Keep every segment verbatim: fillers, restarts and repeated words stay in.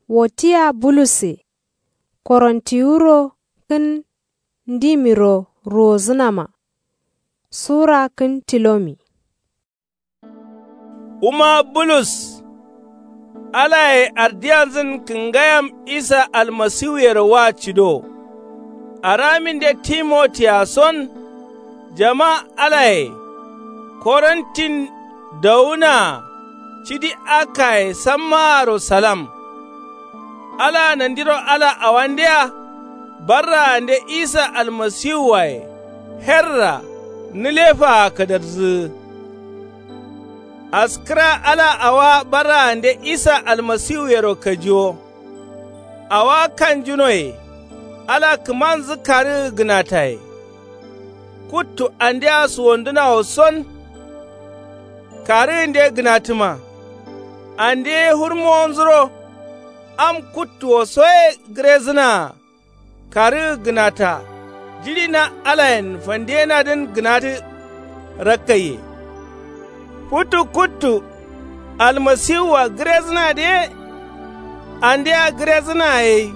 Wo tia bulusse korontiwuro kǝn ndimiro ruwozǝnama. Sura kǝn tilomi. Wuma bulus, alaye ardiyanzǝn kǝngayam isa almasiwuyero wa cido. Araminde timotiya son jama alaye korontin dowunaa cidi akaye sammaaro salam. Alaa nandiro ala awandea barraande isa almasiwuwaye herra nǝlefaa kadarzǝgǝ. Askǝra ala awa barraande isa almasiwuyero kajiwo. Awa kanjunoye ala kǝmanzǝ karǝgǝ gǝnataye. Kuttu andea suwondǝnawo son karǝgǝnde gǝnatǝma. Ande ye hurmowonzuro am kuttuwo soye gǝrezǝnaa. Karǝgǝ gǝnata jiɍi na alayen fandiyenadǝn gǝnatǝ rakkaiye. Futu kuttu almasiwua gǝrezǝnadǝ ye. Andea gǝrezǝna gai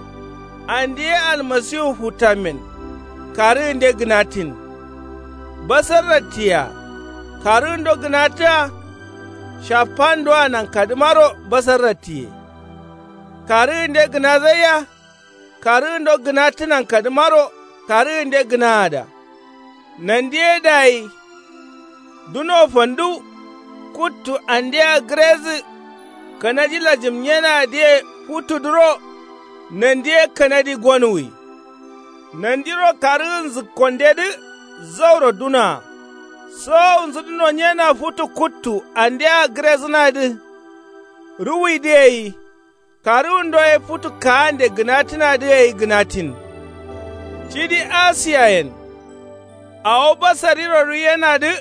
ande ye almasiwu futtammen. Karǝgǝnde gǝnattin basarrattiya. Karǝgǝndo gǝnatǝa. Shaffandoa nankadǝmaro basarrattiye. Karǝgǝnde gǝnazaiya. Karǝgǝndo gǝnatǝ nankadǝmaro karǝgǝnde gǝnaada. Nandi ye dayi duno fandu. Kuttu andea gǝrezǝ kanadi lajǝmnyenadǝye futtudǝro. Nandi ye kanadi gonuwi. Nandiro karǝgǝnzǝkkondedǝ zauro dunaa. Sowowunzǝdǝ nonyena futu kuttu andea gǝrezǝnadǝ ruwuidǝ gai. Karǝgǝndo ye futu kaande gǝnatǝnadǝ gai gǝnattin. Cidi asiyayen awo basariro ruiyenadǝ.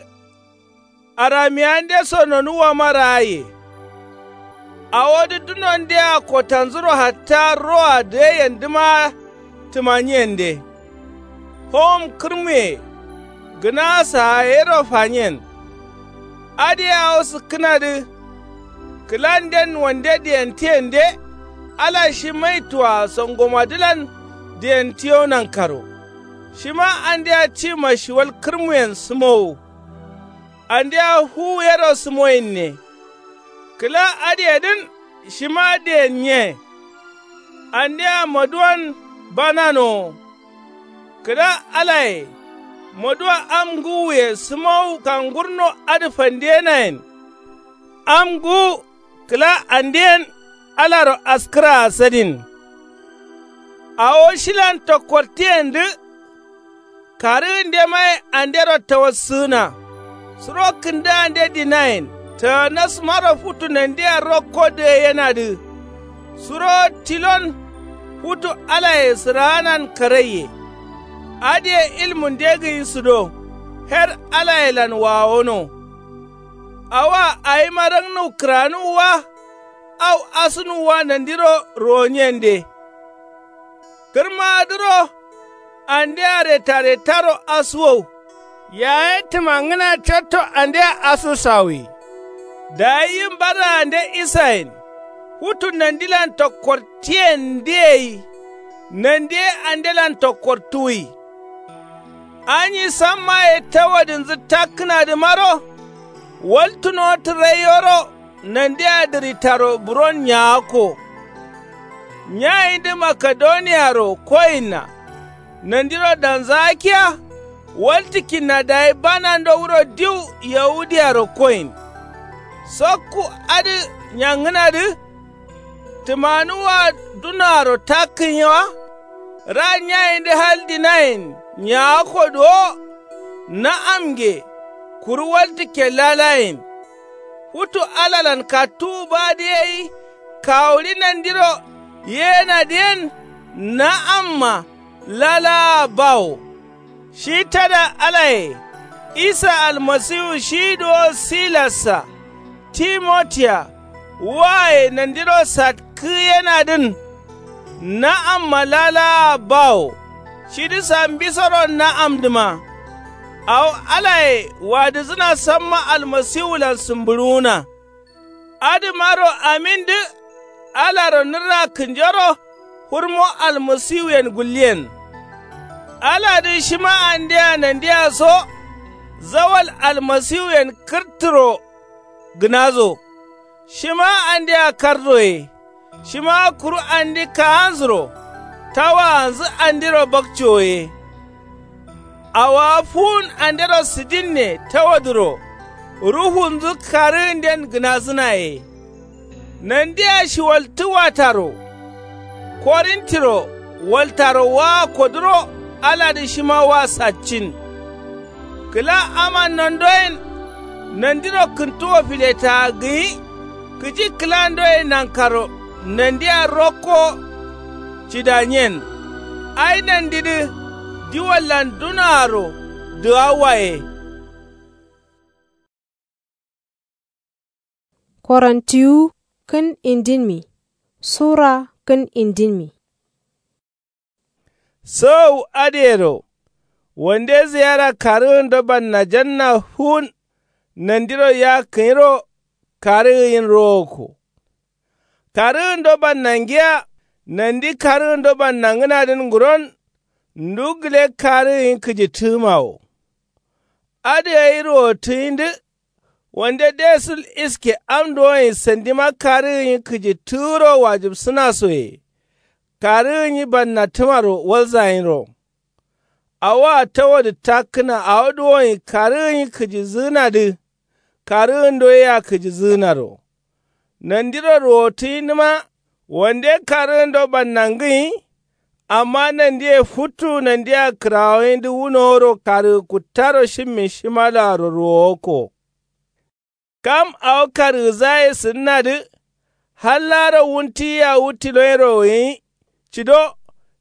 Aramiyande so nonuwwama raaye. Awodǝ dunondea kotanzuro hatta roa dǝgaiyendǝmaa tǝmanyiyende. Howom kǝrmuye gǝna saa yero fanyen. Adǝ ye awo sǝkkǝnadǝ kǝlanden wande diyentǝyende. Ala shi maitua songomadǝlan diyentǝyo nankaro. Shima andea tima shiwal kǝrmuyen sǝmowo. Andea fuwu yero sǝmoyinne. Kǝla adǝyedǝn shima diyennye. Andea maduwan bananowo. Kǝla alaye maduwa am ngǝwuye sǝmowu kangurno adǝ fandiyenayen. Am ngǝwu kǝla andeyen alaro askǝraa sadin. Awo shilan tokkortǝyendǝ. Karǝgǝndemaye andero tawassǝgǝna. Suro kǝndǝgande dinayen taganasmaro futu nandia rokko dǝgaiyenadǝ. Suro tilon futu alaye sǝraanan karaiye. Adǝye ilmunde gǝyi sǝdo. Her alayelan wawono. Awoa awima raknuw kǝranuwwa. Au asunuwwa nandiro ruwonyende. Kǝrmadǝro andea retaretaro asuwow. Yaye tǝmangǝna cotto andea asusawi. Dayi yim barraande isayen futu nandilan tokkortǝyendǝ gai. Nandi ye andelan tokkortǝwui. Anyi sammaye tawadinzǝ takkǝnadǝmaro. Waltǝno tǝraiyoro nandia dǝritaro buron nyagakko. Nyayindǝ makedoniyaro koyinna. Nandiro danzakiya waltǝkkinna dayi banando wuro diw yahudiyaro koyin. Sokku adǝ nyangǝnadǝ. Tǝmanuwwa dunoaro takkǝnye wa. Ra nyayindǝ hal dinayen nyagakko duwo. Na'amnge kuru waltǝkke lalayen. Futu alalan kattuwu badǝ gai kawuɍi nandiro yeyenadǝyen. Na'amma lalaa bawo. Shi tada alaye isa almasiwu shi duwo silassa timotiya waye nandiro satkǝgǝyenadǝn. Na'amma lalaa bawo. Shidǝ sambisoro na'amdǝma. Awo alaye wadǝzǝna samma almasiwulan sǝmbǝɍuwuna. Adǝmaro amindǝ Alaro nǝrra kǝnjoro hurmo almasiwuyen gulliyen. Aladǝ shima andea nandia so zawal almasiwuyen kǝrtǝro gǝnazo. Shima andea kardoye. Shima kuru andi kaanzuro tawaanzǝ andiro bakcoye. Awowa fuwun andero sǝdinne tawadǝro ruhunzǝ karǝgǝnden gǝnazǝnaye. Nandia shiwaltǝ wataro korintiro waltaro waa koduro aladǝ shima wa saccin. Kǝla aman nandoyen nandiro kǝntuwo filetaa gǝnyi kǝji kǝlandoye nankaro nandia rokko cidanyen. Ai nandidǝ diwallan dunoaro dǝgawwaye. Korantiwu kǝn indinmi sura kǝn indinmi. Sǝgau adǝyero wande ziyara karǝgǝndo bannajanna fuwun nandiro yakkǝnyiro karǝgǝnyin rowokko. Karǝgǝndo bannangiya nandi karǝgǝndo bannangǝnadǝn nguron ndu gǝle karǝgǝnyi kǝjitǝgǝmawo. Adǝ gai ruwottǝgǝnyidǝ wande desul iske am duwonyi sandima karǝgǝnyi kǝjitǝgǝro wajibsǝnasoye. Karǝgǝnyi bannattǝmaro walzanyiro. Awoa tawadǝ takkǝna awo duwonyi karǝgǝnyi kǝjizǝgǝnadǝ karǝgǝndo yea kǝjizǝgǝnaro. Nandiro ruwottǝgǝndǝma wande karǝgǝndo bannangǝnyi. Amma nandiye futtu nandia kǝrawonyidǝ wunoworo karǝgǝ kuttaro shimmin shimaloaro ruwowokko. Kam awo karǝgǝzaye sǝdǝnadǝ hallaro wuntiyiya wu tilonyiro gǝnyi. Cido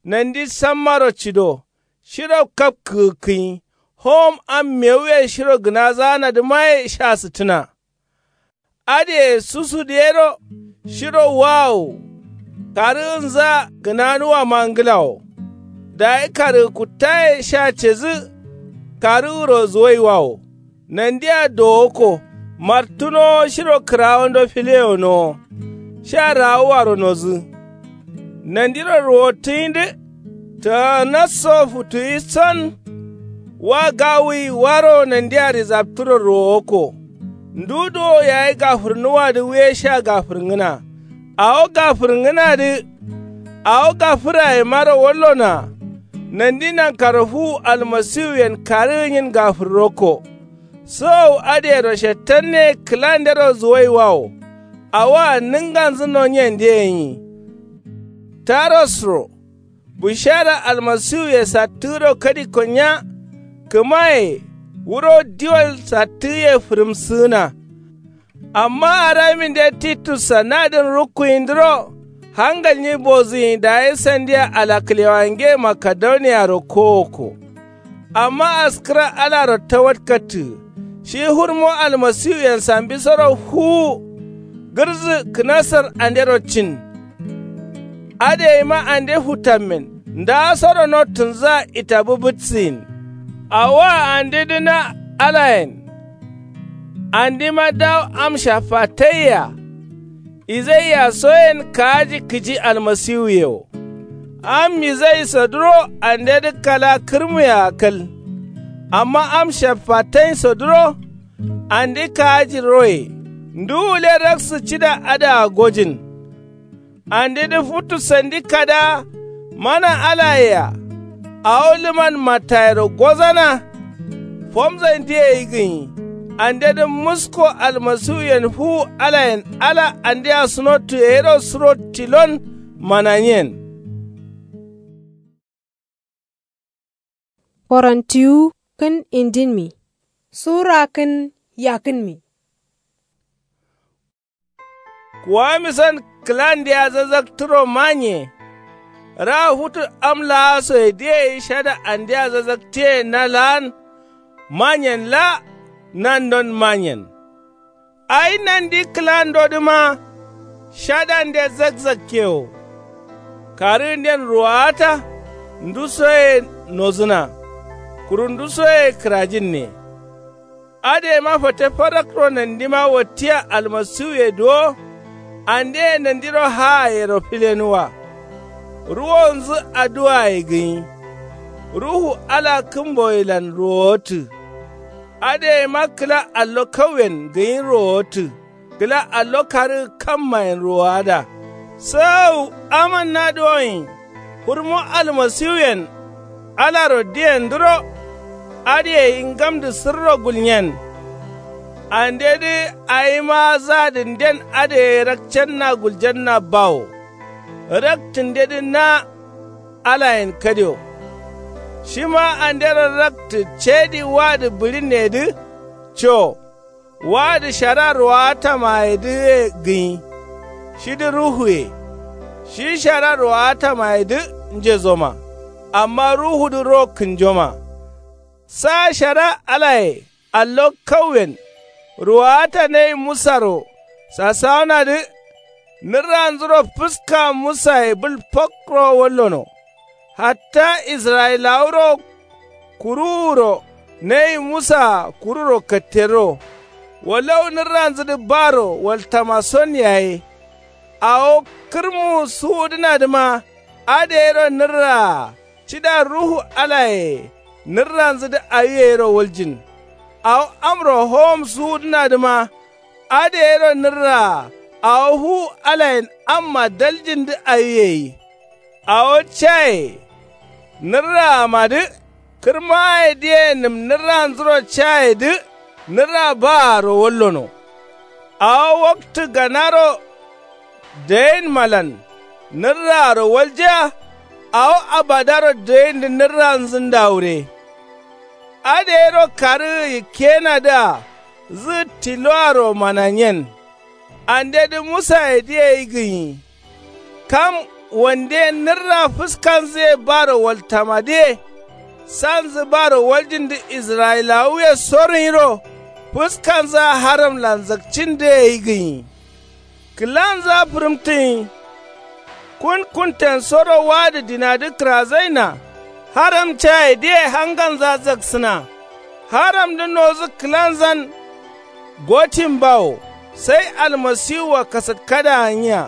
nandi sammaro cido shiro kapkǝgǝkkǝnyi. Howom am mewuye shiro gǝnazaanadǝmaye sha sǝttǝna. Adǝye susudǝ yero shiro wawo. Karǝgǝnza gǝnanuwama ngǝlawo. Dayi karǝgǝ kuttaye sha cedǝ karǝgǝro zuwaiwawo. Nandia dowokko martǝnowo shiro kǝrawondo fileyonowo. Sha rawuwaro nodǝ. Nandiro ruwottǝgǝnyidǝ tǝganasso futuwi son. Wa gawuyi waro nandia rizabtǝro ruwowokko. Ndu duwo yayi gafǝrnuwadǝ wuye sha gafǝrngǝna. Awo gafǝrngǝnadǝ awo gafǝrayemaro wallonoa. Nandi nankaro fuwu almasiwuyen karǝgǝnyin gafǝrrokko. Sǝgau adǝyero shettanne kǝlandero zuwaiwawo. Awoa nǝnganzǝ nonyen dǝ yenyi. Tarosro bushara almasiwuye sattǝgǝro kadikko nya. Kǝmaye wuro diwal sattǝgǝye fǝrǝmsǝgǝna. Amma araminde titussa nadǝn rukkuyindǝro hangalnyi bozǝnyi dayi sandia alaklewange makedoniyaro kowokko. Amma askǝra alaro tawatkattǝ shi hurmo almasiwuyen sambisoro fuwu. Gǝrdzǝ kǝnasar andero cin. Adǝ gaima ande futammen ndaasoro nottǝnzǝa itabǝbǝtsǝgin. Awoa andedǝ na alayen. Andima dawo am shaffataiya. Izaiya soyen kaaji kǝji almasiwuye wo. Am izai soduro andedǝ kala kǝrmuyea kal. Amma am shaffatai soduro ande kaaji roye. Ndu wule raksǝ cida adǝa gojin. Andedǝ futu sandi kada mana alayea. Awo lǝman mattayero gozana. Fomzan diye ye gǝnyi. Andedǝ musko almasiwuyen fuwu alayen ala andea sunottuyero suro tilon mananyen. Korantiwu kǝn indinmi sura kǝn yakǝnmi. Kuwamisan kǝlandea zazzaktǝro manye. Ra futu am laasoye diye ye shada andea zazzaktiye na laan. Manyen la nandon manyen. Ai nandi kǝlandodǝma shadande zakzakke wo. Karǝgǝnden ruwawata ndusoye nozǝna. Kuru ndusoye kǝrajinne. Adǝ gaima fate farakro nandima wattiya almasiwuye duwo. Andeye nandiro haayero filenuwa. Ruwonzǝ aduwaye gǝnyi. Ruhu ala kǝmboyelan ruwowatǝ. Adǝ gaima kǝla allo kauyen gǝnyi ruwowatǝ. Kǝla allo karǝgǝ kammayen ruwowada. Sǝgau amanna duwonyi. Fǝrmo almasiwuyen alaro diyendǝro. Adǝ gai ngamdǝ sǝrro gulnyen. Andedǝ awima zadǝnden adǝ gai rakcenna guljanna bawo. Raktǝndedǝ na alayen kadio. Shima andero raktǝ cedi wadǝ bǝɍinneyedǝ. Co wadǝ shara ruwatamayedǝye gǝnyi. Shidǝ ruhuye. Shi shara ruwatamayedǝ njezoma. Amma ruhudǝ ro kǝnjoma. Sa shara alaye allo kauyen. Ruwata nayi musaro sasawunadǝ. Nǝrranzuro fǝska musaye bǝl fokro wallono. Hatta israyilawuro kuruwuro nayi musaa kururo katterro. Walau nǝrranzǝdǝ baro waltama son yaye. Awo kǝrmu suwudǝnadǝma adǝ gairo nǝrraa. Cida ruhu alaye nǝrranzǝdǝ awi gairo waljin. Awo amro howom suwudǝnadǝma adǝ gairo nǝrraa. Awo fuwu alayen amma daljindǝ awi gai. Awo caye nǝrraamadǝ. Kǝrmayedǝye nǝm nǝrranzuro cayedǝ. Nǝrra baaro wallono. Awo waktǝ ganaro dayinmalan nǝrraaro waljiya. Awo abadaro dayindǝ nǝrranzǝ ndawure. Adǝ gairo karǝgǝ yikkeyenadǝa zǝgǝ tiloaro mananyen. Andedǝ musayedǝ gai gǝnyi. Kam wande nǝrra fǝskanzǝye baro waltamadǝye. Sanzǝ baro waljindǝ israyilawuye sorǝnyiro. Fǝskanzǝa haramlan zakcindǝ gai gǝnyi. Kǝlanzǝa fǝrǝmtǝnyi. Kun kuntensoro wadǝ dinadǝ kǝrazaina. Haram cayedǝye hanganza zaksǝna. Haramdǝ nozǝ kǝlanzan gotin bawo. Sai almasiwua kasatkada gǝnyiya.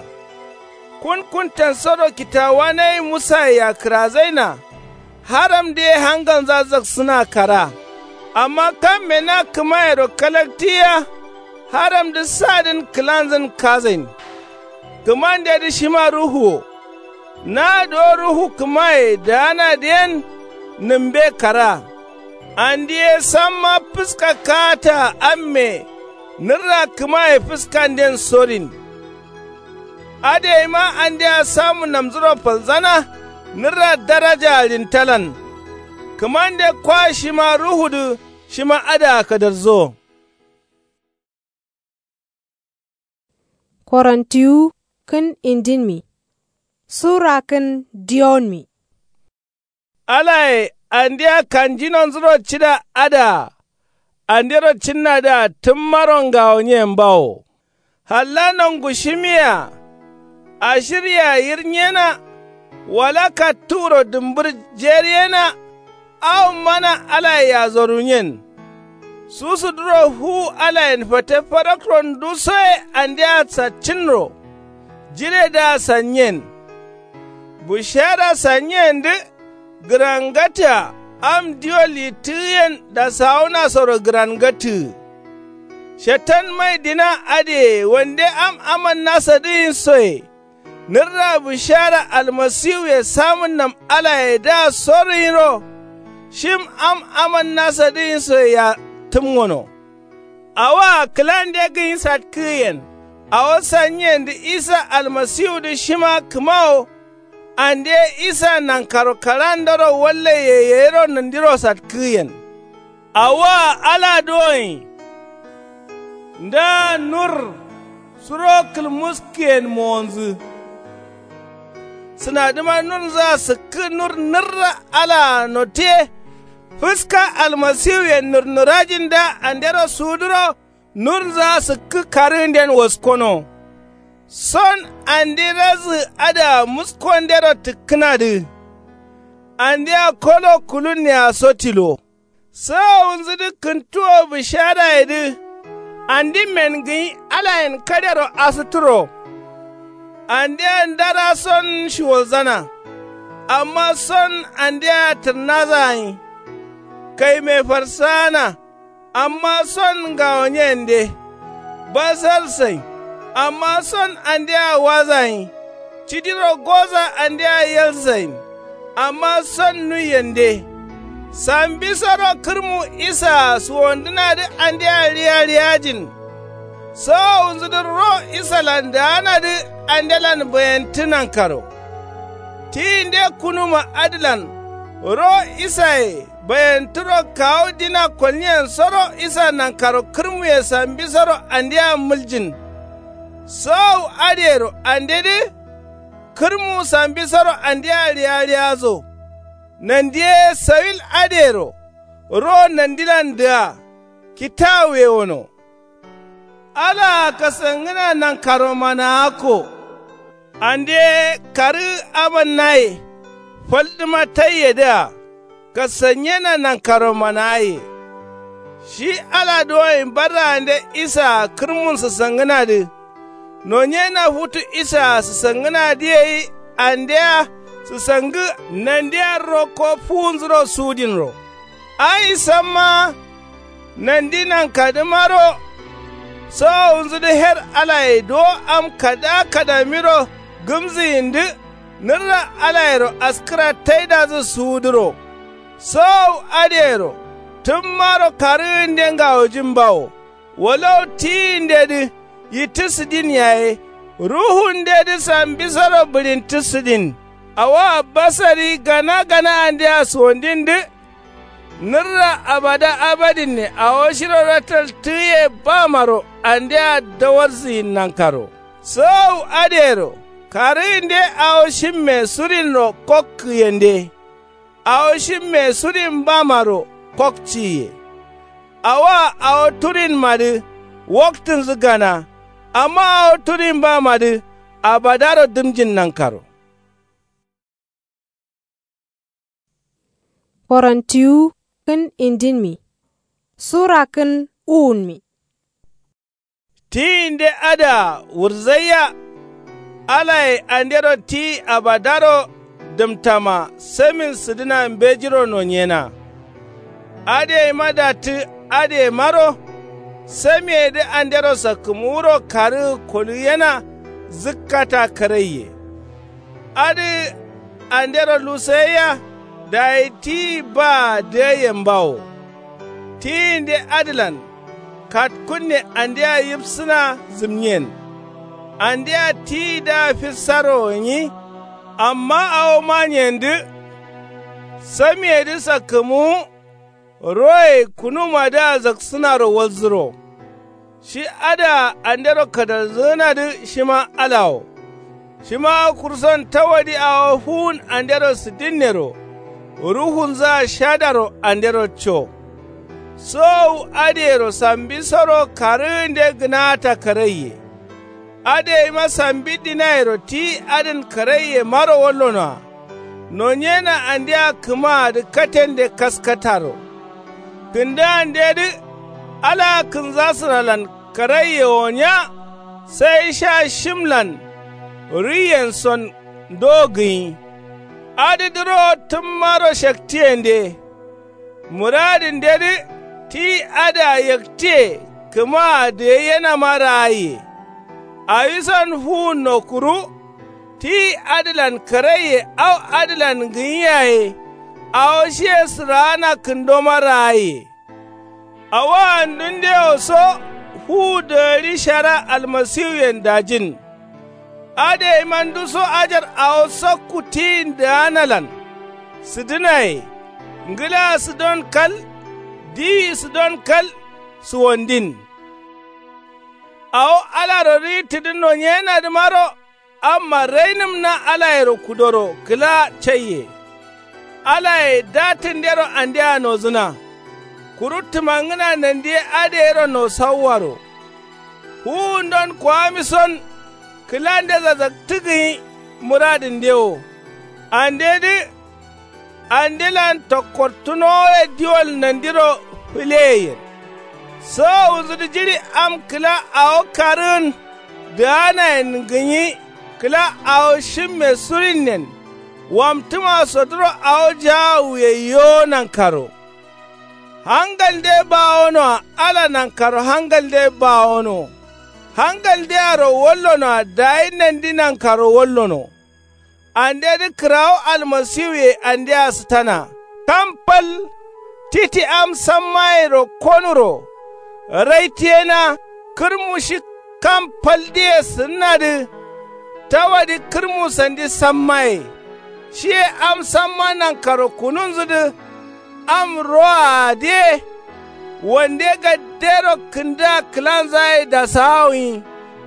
Kun kuntensoro kitawuwa nayi musayea kǝrazaina. Haramdǝye hanganza zaksǝna kara. Amma kamme na kǝmayero kalaktiyiya. Haramdǝ sadǝn kǝlanzǝn kazain. Kǝmandedǝ shima ruhu wo. Naduwo ruhu kǝmaye daanadǝyen. Nǝmbe kara. Andi ye samma fǝska kaataa amme. Nǝrra kǝmaye fǝskanden sorin. Adǝ gaima andea samun namzuro falzana. Nǝrra darajaa ɍintalan. Kǝmande kwa shima ruhudǝ shima adǝa kadarzo. Korontiwu kǝn indinmi. Sura kǝn diyonmi. Alaye andia kanjinonzuro cida adǝa. Andero cinnadǝa tǝmmaro ngawonyen bawo. Halla nongushimiyea. Ashirye yirnyena. Wala kattuwuro dǝmbǝr jeriyena. Awo mana alaye yazoruwunyen. Susuduro fuwu alayen fate fadakro ndusoye andea saccǝnro. Jiredǝa sannyen. Bushara sannyendǝ. Gǝrangatta am diyo littǝgǝyen dasawunasoro gǝrangattǝgǝ. Shetan mai dina adǝye wande am amannasadǝgǝnsoye. Nǝrra bǝshara almasiwuye samunnam alayedǝa sorǝnyiro. Shim am amannasadǝgǝnsoyea tǝmgono. Awoa kǝlande gǝnyi satkǝgǝyen. Awo sannyendǝ isa almasiwudǝ shima kǝmawo. Ande isa nankaro karandoro wallaye yeyiro nandiro satkǝgǝyen. Awoa ala duwonyi. Nda nur suro kǝlmuskǝyen mowonzǝ. Sǝnadǝma nurnzǝa sǝkkǝ nur nǝrra alaa notiye. Fǝska almasiwuyen nurnurajinda andero suwuduro. Nurnzǝa sǝkkǝ karǝgǝnden waskono. Son andi razǝ adǝa muskondero tǝkkǝnadǝ. Andia kolo kulunnea so tilo. Sawawunzudǝ kǝntuwo bǝsharayedǝ. Andi men gǝnyi alayen kadero asǝtturo. Andea ndara son shiwolzana. Amma son andea tǝrnaza gǝnyi. Kaime farsaana. Amma son ngawonyende. Basal sain. Amma son andea waza gǝnyi. Cidiro goza andea yal sain. Amma son nuiyende. Sambisoro kǝrmu isaa suwondǝnadǝ andea riya riyajin. Sowowunzudǝ ro isalan daanadǝ andelan bayentǝ nankaro. Tiyinde kunuma adǝlan ro isaye bayentǝro kawu dina kolniyensoro isa nankaro kǝrmuye sambisoro andea mǝljin. Sowowu adǝyero andedǝ kǝrmu sambisoro andea riya riyazo. Nandiye sawil adǝyero ro nandilan dǝa kitawuye wono. Alaa kasangǝna nankaromanaakko. Ande karǝ amannaye faldǝma taiyedǝa kasanyena nankaromanaaye. Shi ala duwoin barraande isaa kǝrmun sǝsangǝnadǝ. Nonyena futu isaa sǝsangǝnadǝ gai andea sǝsangǝ nandia rokko fuwunzuro sudinro. Ai samma nandi nankadǝmaro. Sowowunzudǝ her alaye duwo am kada kadamiro gǝmzǝyindǝ. Nǝrra alayero askǝra taidazǝ suwuduro. Sowowu adǝyero tǝmmaro karǝgǝnde ngawojimbawo. Walau tiyindedǝ yittǝ sǝdin yaye ruhundedǝ sambisoro bǝɍintǝ sǝdin. Awoa basari gana gana andea suwondindǝ. Nǝrra abada abadinne awo shiro rataltǝgǝye bamaro andea dawarzǝyin nankaro. Sowowu adǝyero karǝgǝnde awo shimme surinro kokkǝyende. Awo shimme surin bamaro kokciye. Awoa awo turinmadǝ woktǝnzǝ gana. Amma awo turin bamadǝ abadaro dǝmjin nankaro. Korontiwu kǝn indinmi sura kǝn uwunmi. Tiyinde adǝa wǝrzaiya. Alaye andero tiyi abadaro dǝmtama samin sǝdǝna mbejiro nonyena. Adǝ yaima dattǝ adǝ yaimaro. Samiyedǝ andero sakkǝmuwuro karǝgǝ koluyena. Zǝkkata karaiye. Adǝ andero lusaiya. Dayi tiyi baa dǝgaiyen bawo. Tiyinde adǝlan katkunne andea yifsǝna zǝmniyen. Andea tiyidǝa fissaro gǝnyi. Amma awo maniyendǝ samiyedǝ sakkǝmuwu. Roye kunumadǝa zaksǝnaro walzǝro. Shi adǝa andero kadalzǝgǝnadǝ shima alawo. Shima kurson tawadi awo fuwun andero sǝdinnero. Ruhunzǝa shadaro andero co. Sowowu adǝyero sambisoro karǝgǝnde gǝnaata karaiye. Adǝ yaima sambi dinayero tiyi adǝn karaiye maro wallonoa. Nonyena andea kǝmaadǝ katende kaskataro. Kǝndǝgandedǝ alaa kǝnzasǝralan karaiye wonya. Sai sha shimlan ruiyen son ndo gǝnyi. Adǝ dǝrowo tǝmmaro shaktiyende. Muradǝndedǝ tiyi adǝa yaktiye kǝmaa dǝgaiyenama ragaiye. Awison fuwunno kuru. Tiyi adǝlan karaiye au adǝlan gǝnyi yaye. Awo shiye sǝraana kǝndoma ragaiye. Awo andundewo so fuwu dǝgari shara almasiwuyen dajin. Adǝ yaima nduso ajar awo sakku tiyin dǝganalan sǝdǝnaye. Ngǝla sǝdon kal diyi sǝdon kal sǝwondin. Awo alaro riyittǝdǝ nonyenadǝmaro. Amma rainǝm na alayero kudoro kǝla caiye. Alaye datǝndero andea nozǝna. Kuru tǝmangǝna nandiye adǝyero nosauwaro. Fuwundon kowamison kǝlande zazaktǝ gǝnyi muradǝnde wo. Andedǝ andelan tokkortǝnowoye diwol nandiro fǝleyeyen. Sowowunzudǝ jiɍi am kǝla awo karǝgǝn dǝganayen gǝnyi. Kǝla awo shimme surinnen wamtǝma sodǝro awo jaawuye yo nankaro. Hangalde bawonoa ala nankaro hangalde bawono. Hangaldearo wallonoa dayi nandi nankaro wallono. Andedǝ kǝrawo almasiwuye andea sǝtana. Kam fal titi am sammayero konuro raitiyena. Kǝrmu shi kam faldǝye sǝnnadǝ. Tawadǝ kǝrmu sandi sammaye. Shiye am samma nankaro kununzudǝ. Am roa adǝye. Wande gaddero kǝndǝa kǝlanzaye dasawawi.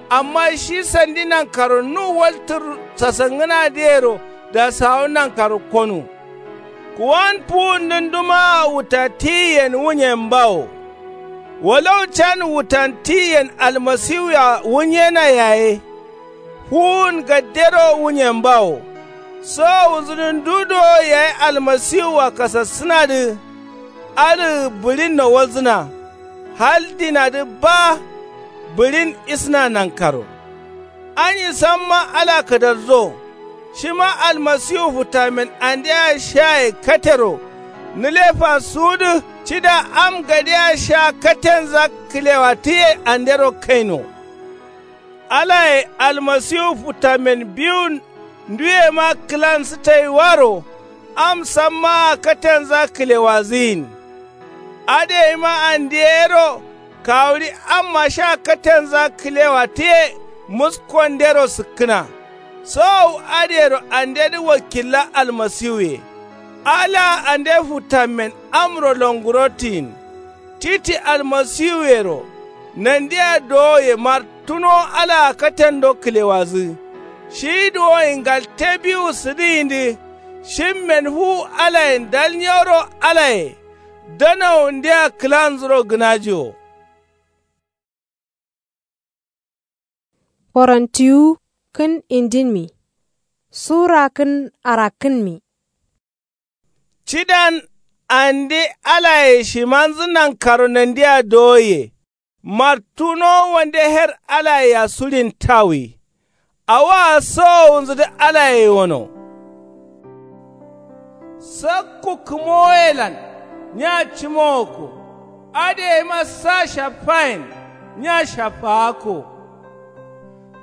Amma shi sandi nankaro nu waltǝr sasangǝnadǝyero dasawu nankaro konu. Kuwan fuwundǝn dumaa wuta tiyiyen wunyen bawo. Walau can wutan tiyiyen almasiwua wunyena yaye. Fuwun gaddero wunyen bawo. Sowowunzudǝn du dowo yayi almasiwua kasassǝnadǝ. Adǝ bǝɍinno walzǝna. Hal dinadǝ ba. Bǝɍin isǝna nankaro. Anyi samma ala kǝdalzo. Shima almasiwu futtamen andea shaye katero. Nǝlefa suwudǝ cida am gadea sha katenza kǝlewa tǝye andero kaino. Alaye almasiwu futtamen biwun nduyema kǝlansǝtaiwaro. Am sammaa katenza kǝlewazǝyin. Adǝ yaima andeyero kawuɍi amma sha katenza kǝlewa tǝye. Muskondero sǝkkǝna. Sowowu adǝyero andedǝ wakilla almasiwuye. Alaa ande futtamen amro longurotǝyin. Titi almasiwuyero nandia dowoye martunowo alaa katendo kǝlewazǝ. Shi duwoyin ngalte biwu sǝdǝyindǝ. Shimmen fuwu alayen dal nyoro alaye. Danawundea kǝlanzuro gǝnaji wo. Korontiwu kǝn indinmi. Sura kǝn arakkǝnmi. Cidan ande alaye shimanzǝ nankaro nandia dowoye. Martunowo wande her alayea suɍin tawi. Awaa sowowunzudǝ alaye wono. Sakku kǝmowoyelan nya cimowokko. Adǝ yaima sa shaffayen nya shaffaakko.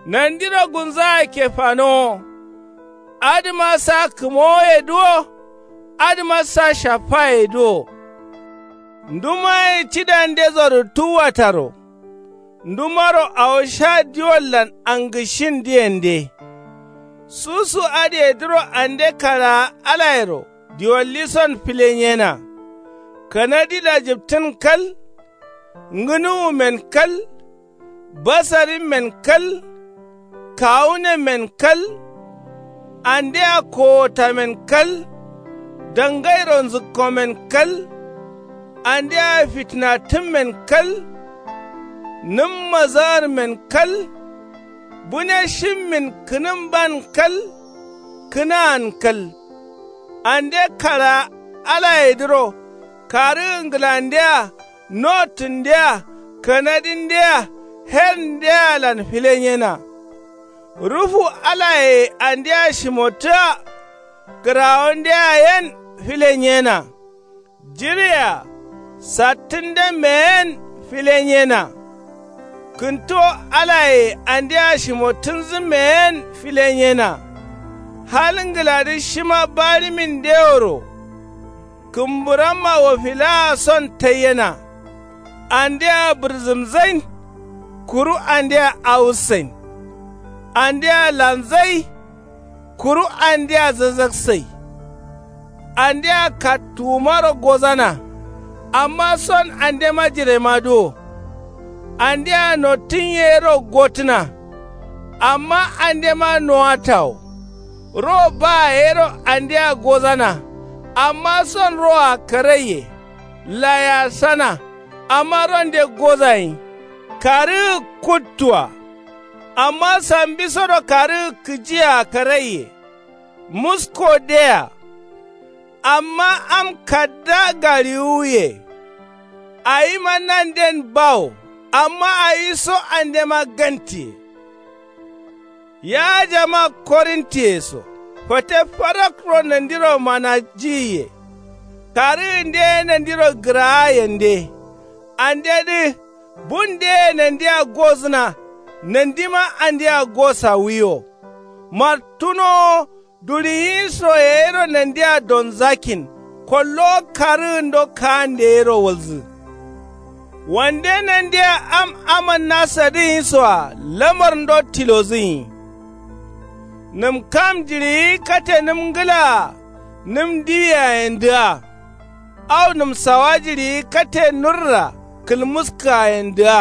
Nandiro gunzaa kefanowo. Adǝma sa kǝmowoyedǝ wo. Adǝma sa shaffayedǝ wo. Ndumaye cidandezorǝ tuwataro. Ndumaro awo sha diwollan angǝshindǝyende. Susu adǝyedǝro ande karaa alayero diwollison filenyena. Kanadi lajǝptǝn kal. Ngǝnuwumen kal. Basarimmen kal. Kawunemmen kal. Andea kowotamen kal. Dangairo nzǝkkomen kal. Andea fitǝnatǝmmen kal. Nǝmma zaarmen kal. Bune shimmin kǝnǝmban kal. Kǝnaan kal. Ande karaa alayedǝro karǝgǝ ngǝlandea notǝndea kanadindea herndealan filenyena. Rufu alayeye andea shimottǝa kǝrawondea yen filenyena. Jiɍea sattǝnde meyen filenyena. Kǝnto alayeye andea shimottǝnzǝ meyen filenyena. Hal ngǝladǝ shima baɍimindeworo. Kǝmburamma wofilaa son taiyena. Andea bǝrzǝmzain. Kuru andea awussain. Andea lanzai. Kuru andea zazaksai. Andea kattuwumaro gozana. Amma son andema jiremadǝ wo. Andea nottǝn yero gotǝna. Amma andema nowata wo. Ro baa yero andea gozana. Amma son roa karaiye. Layasana. Amma ronde gozayin. Karǝgǝ kuttua. Amma sambisoro karǝgǝ kǝjia karaiye. Muskodea. Amma am kadda gariwuye. Awima nanden bawo. Amma awiso andema gantiye. Ya jama korintiye so, fate farakkuro nandiro manajiyiye. Karǝgǝnde nandiro gǝraa yende. Andedǝ, bundeye nandia gozǝna. Nandima andia gosawiyo. Martunowo, duɍiyi so yayiro nandia donzakkin. Kollowo karǝgǝndo kaande yero walzǝ. Wande nandia am amanna sadǝnyi soa lamarndo tilozǝnyi. Nǝm kam jiɍiyi kate nǝm ngǝlaa nǝm diwiyayendǝa. Au nǝm sawa jiɍiyi kate nurra kǝlmuskǝgayendǝa.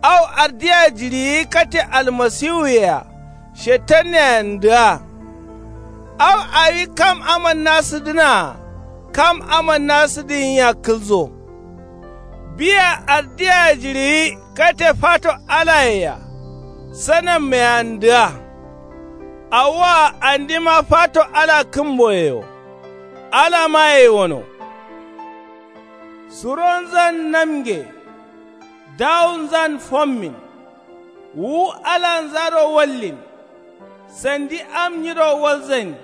Au ardiya jiɍiyi kate almasiwuyea shetanneyendǝa. Au awi kam amanna sǝdǝnaa kam amanna sǝdǝnyia kǝlzo. Biya ardiya jiɍiyi kate fato alayea sanammeyandǝa. Awoa andima fato ala kǝmboyewo. Alamaye wono. Suronzan namge. Dawunzan fommin. Wu alanzaro wallin. Sandi am nyiro walzain.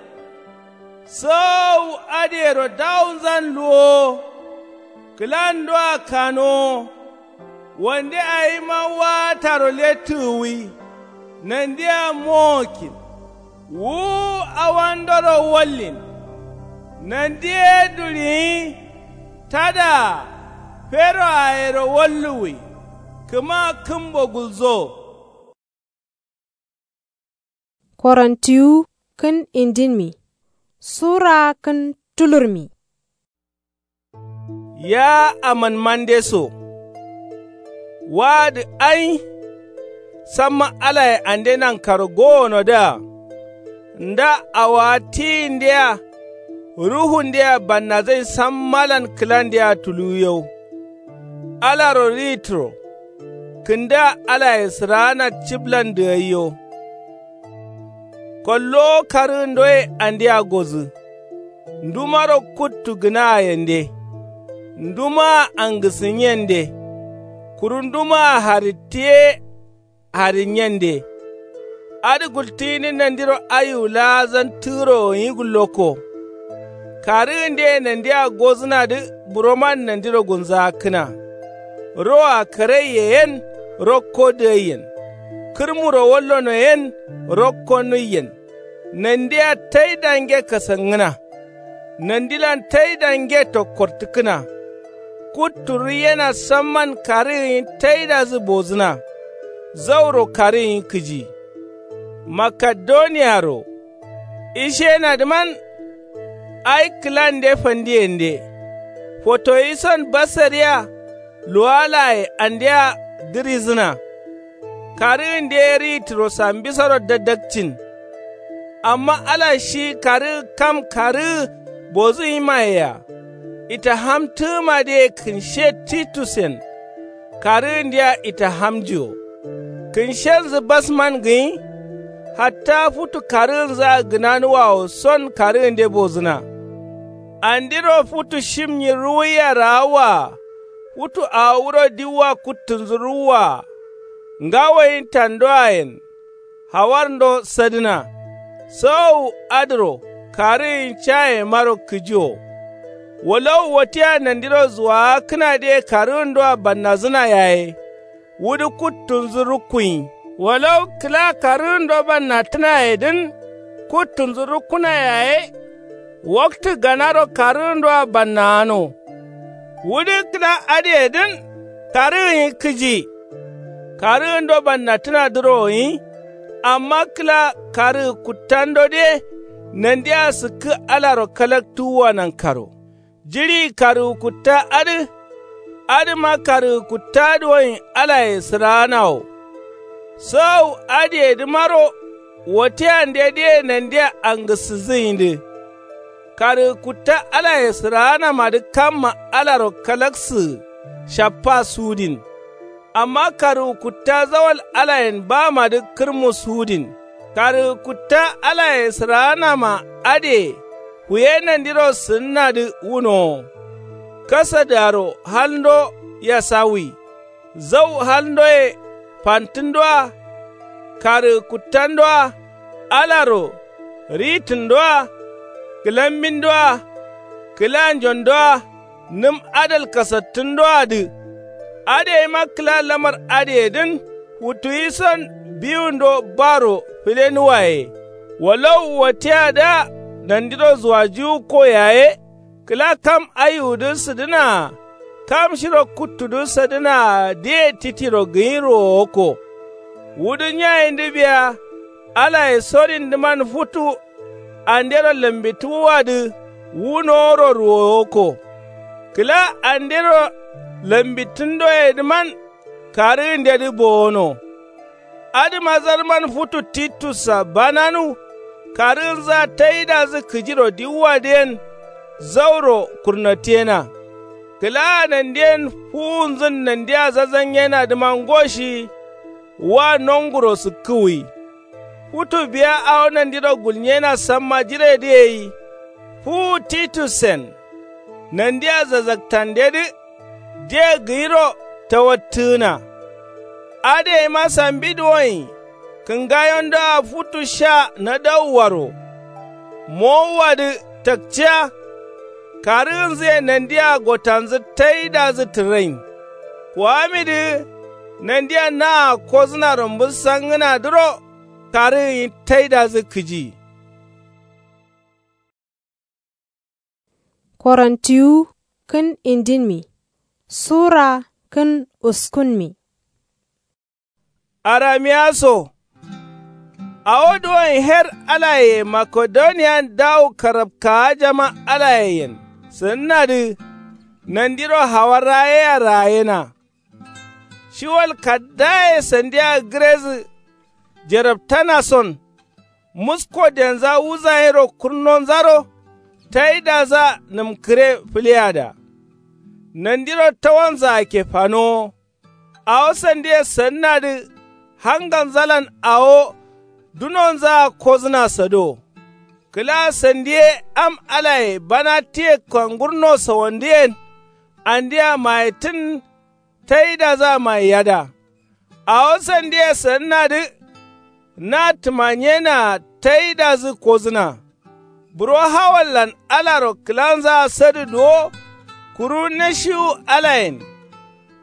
Soowu adǝyero dawunzan luwowo. Kǝlandoa kanowo. Wande awima waataro lettǝgǝwi. Nandia mowokkin. Wu awandoro wallin. Nandi ye duɍiyi tadaa feroayero walluwi. Kǝma kǝmbo gulzo. Korontiwu kǝn indinmi suraa kǝn tulurmi. Ya amanmande so. Waadǝ ai. Samma alaye ande nankaro gowonodǝa. Nda awowa tiyindea ruhundea bannazain sammalan kǝlandea tuluwiyau. Alaro ritǝro. Kǝndǝa alaye sǝraana ciblandǝ gaiyo. Kollowo karǝgǝndoye andea gozǝ. Ndumaro kuttu gǝnaayende. Ndumaa angǝsǝnyende. Kuru ndumaa haritti ye harinyende. Adǝ gultǝyindǝ nandiro ayiwu laazan tǝgǝrowo nyi gullokko. Karǝgǝndeye nandia gozǝnadǝ buroman nandiro gunzaakkǝna. Roa karaiye yen rokko dǝgaiyen. Kǝrmuro wallono yen rokko nuiyen. Nandia taidange kasangǝna. Nandilan taidange tokkortǝkkǝna. Kutturǝ yena samman karǝgǝnyi taidazǝ bozǝna. Zauro karǝgǝnyi kǝji. Makedoniyaro ishenadǝman. Ai kǝlande fandiyende. Fotoyison basariya luwalaye andea dǝrizǝna. Karǝgǝnde ye ritǝro sambisoro dadakcin. Amma ala shi karǝgǝ kam karǝgǝ bozǝnyimayea. Itahamtǝgǝmadǝye kǝnshe titusen. Karǝgǝndea itahamnjiwo. Kǝnshenzǝ basman gǝnyi. Hatta futu karǝgǝnzǝa gǝnanuwawo son karǝgǝnde bozǝna. Andiro futu shimnyi ruwuiya raawwaa. Futu awo wuro diwwa kuttunzǝ ruwwaa. Ngawoyin tandoayen. Hawarndo sadǝna. Sowowu adǝro karǝgǝnyi cayemaro kǝjiwo. Walawu wattia nandiro zuwaakkǝnadǝye karǝgǝndoa bannazǝna yaye. Wudǝ kuttunzǝ rukkunyi. Walawu kǝla karǝgǝndo bannattǝnayedǝn kuttunzǝ rukkuna yaye. Waktǝ ganaro karǝgǝndoa bannagano. Wudǝ kǝla adǝyedǝn karǝgǝnyi kǝji. Karǝgǝndo bannattǝnadǝro gǝnyi. Amma kǝla karǝgǝ kuttandode nandia sǝkkǝ alaro kalaktuwwa nankaro. Jiɍi karǝgǝ kutta adǝ. Adǝma karǝgǝ kutta dǝ wonyi alaye sǝraana wo. Sowowu adǝyedǝmaro. Watiyandedǝye nandia angǝsǝzǝnyidǝ. Karǝgǝ kutta alaye sǝraanamadǝ kamma alaro kalaksǝgǝ shappa sudin. Amma karǝgǝ kutta zawal alayen bamadǝ kǝrmu sudin. Karǝgǝ kutta alaye sǝraanama adǝye huye nandiro sǝnnadǝ wunowo. Kasadaro halndo yasawi. Zau halndoye fantǝndoa. karǝgǝ kuttandoa, alaro ritǝndoa, kǝlambindoa, kǝlanjondoa, nǝm adal kasattǝndoadǝ. Adǝ yaima kǝla lamar adǝyedǝn futu yison biwundo baro filenuwaye. Walau watiyadǝa nandiro zuwajiwukko yaye. Kǝla kam aiwudǝ sǝdǝnaa, kam shiro kuttudǝ sǝdǝnaadǝye titiro gǝnyiro wokko. Wudǝ nyayindǝ biya alaye sorindǝman futu andero lambitǝwuwadǝ wunoworo ruwowokko. Kǝla andero lambittǝndoyedǝman karǝgǝndedǝ bowono. Adǝma zarman futu titussa bananu karǝgǝnzǝa taidazǝ kǝjiro diwuwadǝyen zauro kurnatiyena. Kǝlaa nandiyen fuwunzǝn nandia zazanyenadǝma ngoshi wa nonguro sǝkkǝwwi. Futu biya awo nandiro gulnyena samma jiredǝ yei. Fuwu titussen nandia zazaktandedǝ de gǝnyiro tawattǝgǝna. Adǝ yaima sambi duwonyi kǝngayondoa futu sha nadauwaro mowuwadǝ takciya. Karǝgǝnzǝye nandia gotanzǝ taidazǝ tǝrain. Kuwamidǝ nandia naa kozǝnaro mbǝssangǝnadǝro karǝgǝnyi taidazǝ kǝji. Korontiwu kǝn indinmi sura kǝn uskunmi. Aramiya so awo duwon her alaye makedoniyan dawu karabkaajama alayeyen sǝnnadǝ nandiro hawa rayeya rayena. Shiwal kaddaye sandiya gǝrezǝ jerabtana son musko denza wuzayero kurnonzaro taidazǝa nǝmkǝre fǝleyada. Nandiro tawanzǝa ke fanowo. Awo sandiye sǝnnadǝ hanganzalan awo dunonzǝa kozǝna sado. Kǝla sandiye am alaye bana tiye kangurno sawandǝyen andia mayettǝn taidazǝa mayeyada. Awo sandiye sǝnnadǝ na tǝmanyenaa taidazǝ kozǝna. Buro hawallan alaro kǝlanzaa sadǝ duwo kuru nashiwu alayen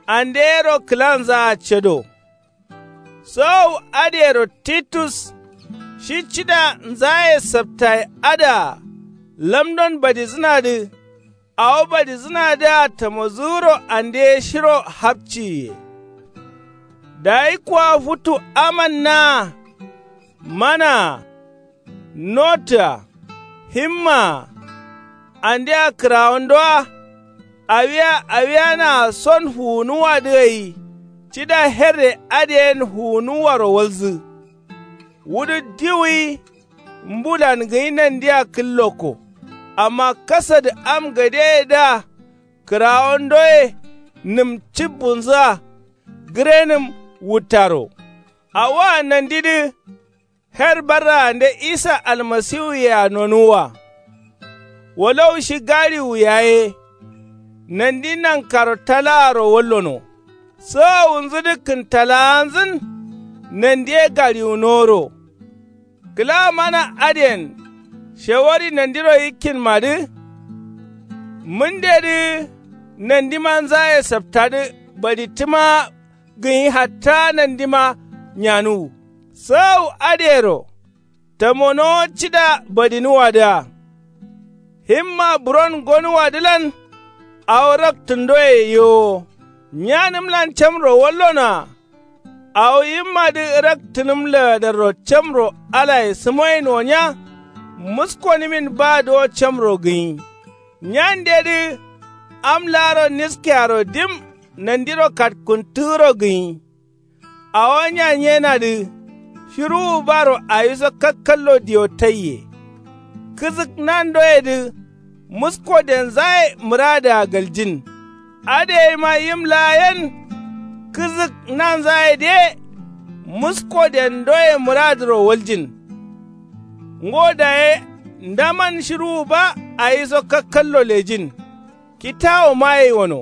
andeyero kǝlanzaa cado. Sowu adǝyero titus shi cida nzaye saptaye adǝa lamdon badizǝnadǝ awo badizǝnadǝa tamozǝgǝro andeye shiro hapciyiye. Dayi kuwa futu aman naa manaa notǝa himmaa andea kǝrawondoa awia awianaa son fuwunuwadǝ gai cida herre adǝyen fuwunuwaro walzǝ. Wudǝ diwuyi mbulan gǝnyi nandia kǝllokko. Amma kasadǝ am gadeyedǝa kǝrawondoye nǝm cibbunzǝa gǝrenǝm wuttaro. Awoa nandidǝ her barraande isa almasiwuyea nonuwwa. Walau shi galiwu yaye nandi nankaro talaaro wallono. Sowowunzǝdǝ kǝntalaanzǝn nandiye galiwunoworo. Kǝla mana adǝyen shewari nandiro yikkinmadǝ. Mǝndedǝ nandima nzaye saptadǝ badittǝma gǝnyi hatta nandima nyanuwu. Sawu adǝyero tamonowo cida badinuwadǝa. Himma buron gonuwadǝlan awo raktǝndoye yewo. Nyanǝmlan camro wallonoa. Awo yimmadǝ raktǝnǝm lagadarro camro alaye sǝmoyin wonya. Muskonǝmin ba duwo camro gǝnyi. Nyandedǝ am laaro niskearo dim nandiro katkuntǝgǝro gǝnyi. Awo nyanyenadǝ shiruwu baro awiso kakkallo diyo taiye. Kǝzǝk nandoyedǝ musko denzaye mǝradǝa galjin. Adǝ yaima yim laa yen kǝzǝk nanzayedǝ ye musko dendoye mǝradǝro waljin. Ngo daye ndaman shiruwu ba awiso kakkallo lejin. Kitawo maye wono.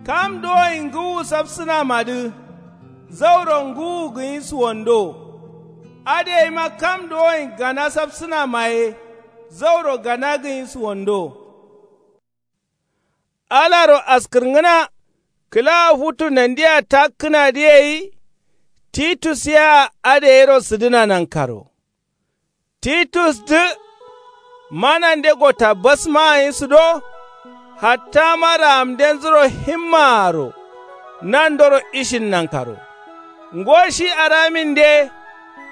Kam dowoyi ngǝwu safsǝnamadǝ Zauro ngǝwu gǝnyi suwando. Adǝ yaima kam duwoyin gana sapsǝna maye. Zauro gana gǝnyi suwando. Alaro askǝrngǝna kǝla futu nandiya takkǝnadǝ yeyi. Titus yea adǝ yero sǝdǝna nankaro. Titusdǝ manande gota basma gǝnyi sǝdo. Hattama raamdenzuro himmaaro nandoro ishin nankaro. Ngo shi araminde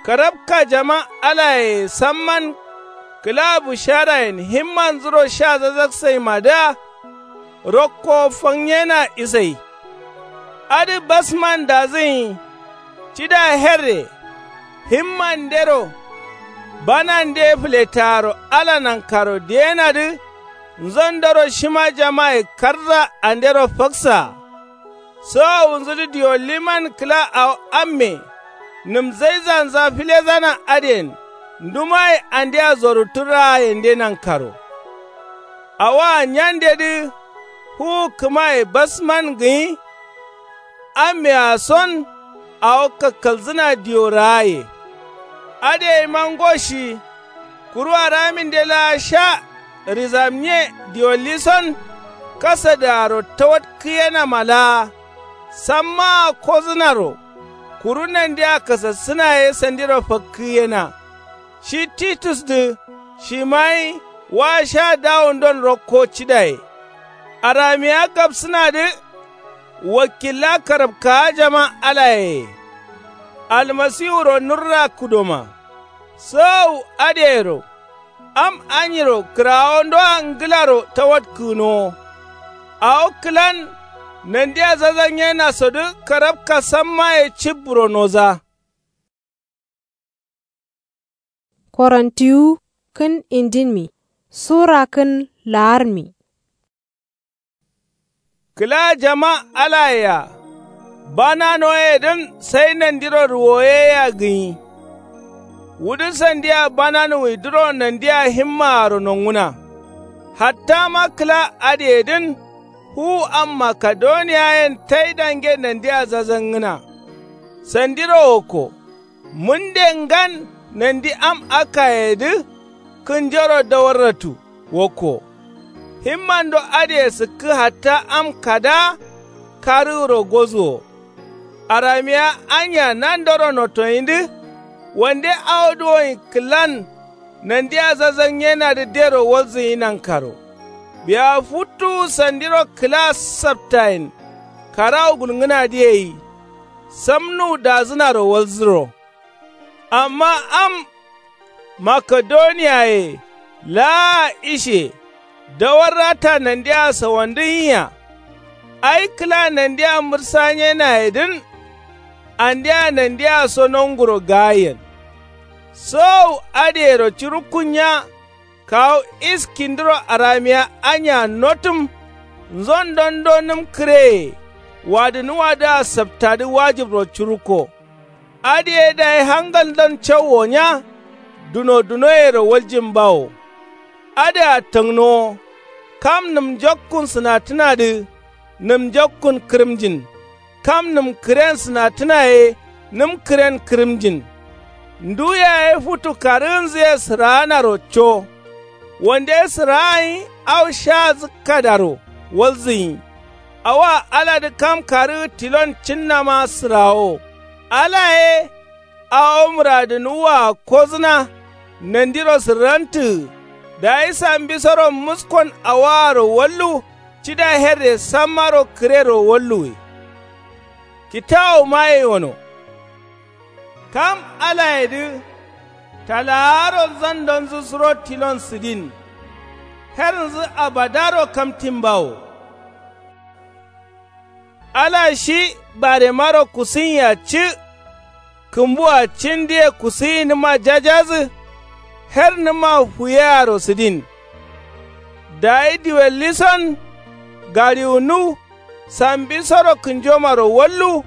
karabka jama alayeye samman. Kǝla busharayen himmanzuro sha zazaksayimadǝa rokko fangnyena isai. Adǝ basman dazǝnyi cida herre himmandero banande fǝletaaro ala nankaro diyenadǝ. Nzondoro shima jamaye karza andero faksaa. Sowowunzudǝ diwolliman kǝla awo amme nǝmzaizanza filezana adǝyen ndumaye andea zoruttu raayende nankaro. Awoa nyandedǝ fuwu kǝmaye basman gǝnyi. Ammea son awo kakkalzǝna diwo raaye. Adǝ yaima ngo shi kuru araminde laa sha rizamnye diwolli son kasadǝaro tawatkǝyenama laa sammaa kozǝnaro. Kuru nandea kasassǝna ye sandiro fakkǝyena. Shi titusdǝ shima ye wa sha dawundon rokko cidaye. Aramiya gapsǝnadǝ wakkilla karabkawa jama alayeye. Almasiwuro nurra kǝdoma. Sowowu adǝyero am anyiro kǝrawondoa ngǝlaro tawatkǝgǝnowo. Awo kǝlan nandia zazanyenaso dǝ karabka sammaye cibburo noza. Korontiwu kǝn indinmi sura kǝn laarmi. Kǝla jama alayea bananoyedǝn sai nandiro ruwoyeyea gǝnyi. Wudǝ sandia bananuwidǝro nandia himmaaro nongǝna. Hattama kǝla adǝyedǝn fuwu am makedoniyayen taidange nandia zazangǝna. Sandiro wokko mǝnde ngan nandi am akkayedǝ kǝnjoro dawarratu wokko. Himmando adǝye sǝkkǝ hatta am kada karǝgǝro gozuwo. Aramiya anya nandoro nottoyindǝ wande awo duwoyin kǝlan. Nandia zazanyenadǝ dero walzǝnyi nankaro. Biya futtuwu sandiro kǝla saptayen karawu gulngǝnadǝ yeyi. Samnuwu dazǝnaro walzǝro. Amma am makedoniyaye laa ishe dawarrata nandia sawandǝnyiya. Ai kǝla nandia mǝrsanyenayedǝn andea nandia so nonguro gaayen. Sowowu adǝyero curukkunya kawu iskindǝro aramiya anya notǝm. Nzondon do nǝm kǝreye wadǝnuwadǝa saptadǝ wajibro curukko. Adǝye dayi hangaldon cauwo nya. Duno dunoyero waljin bawo. Adǝa tǝngnowo kam nǝm njokkun sǝnatǝnadǝ nǝm njokkun kǝrǝmjin. Kam nǝm kǝren sǝnatǝna ye nǝm kǝren kǝrǝmjin. Ndu yaye futu karǝgǝnzǝye sǝraanaro co. Wande sǝraagǝnyi au sha zǝkkadaro walzǝnyi. Awoa aladǝ kam karǝgǝ tilon cinnama sǝrawo. Ala ye awo mǝradǝnuwwa kozǝna. Nandiro sǝrrantǝgǝ dayi sambisoro muskon awoaro wallu. Cida herre sammaro kǝrero walluwe. Kitawuma ye wono kam alayedǝ talaaro nzandonzǝ suro tilon sǝdin. Hernzǝ abadaro kamtin bawo. Ala shi baremaro kusǝnyiya ci. Kǝmbua cindǝye kusǝyinǝma jajazǝ. Hernǝma fuyearo sǝdin. Dayi diwellison gariwunu sambisoro kǝnjomaro wallu.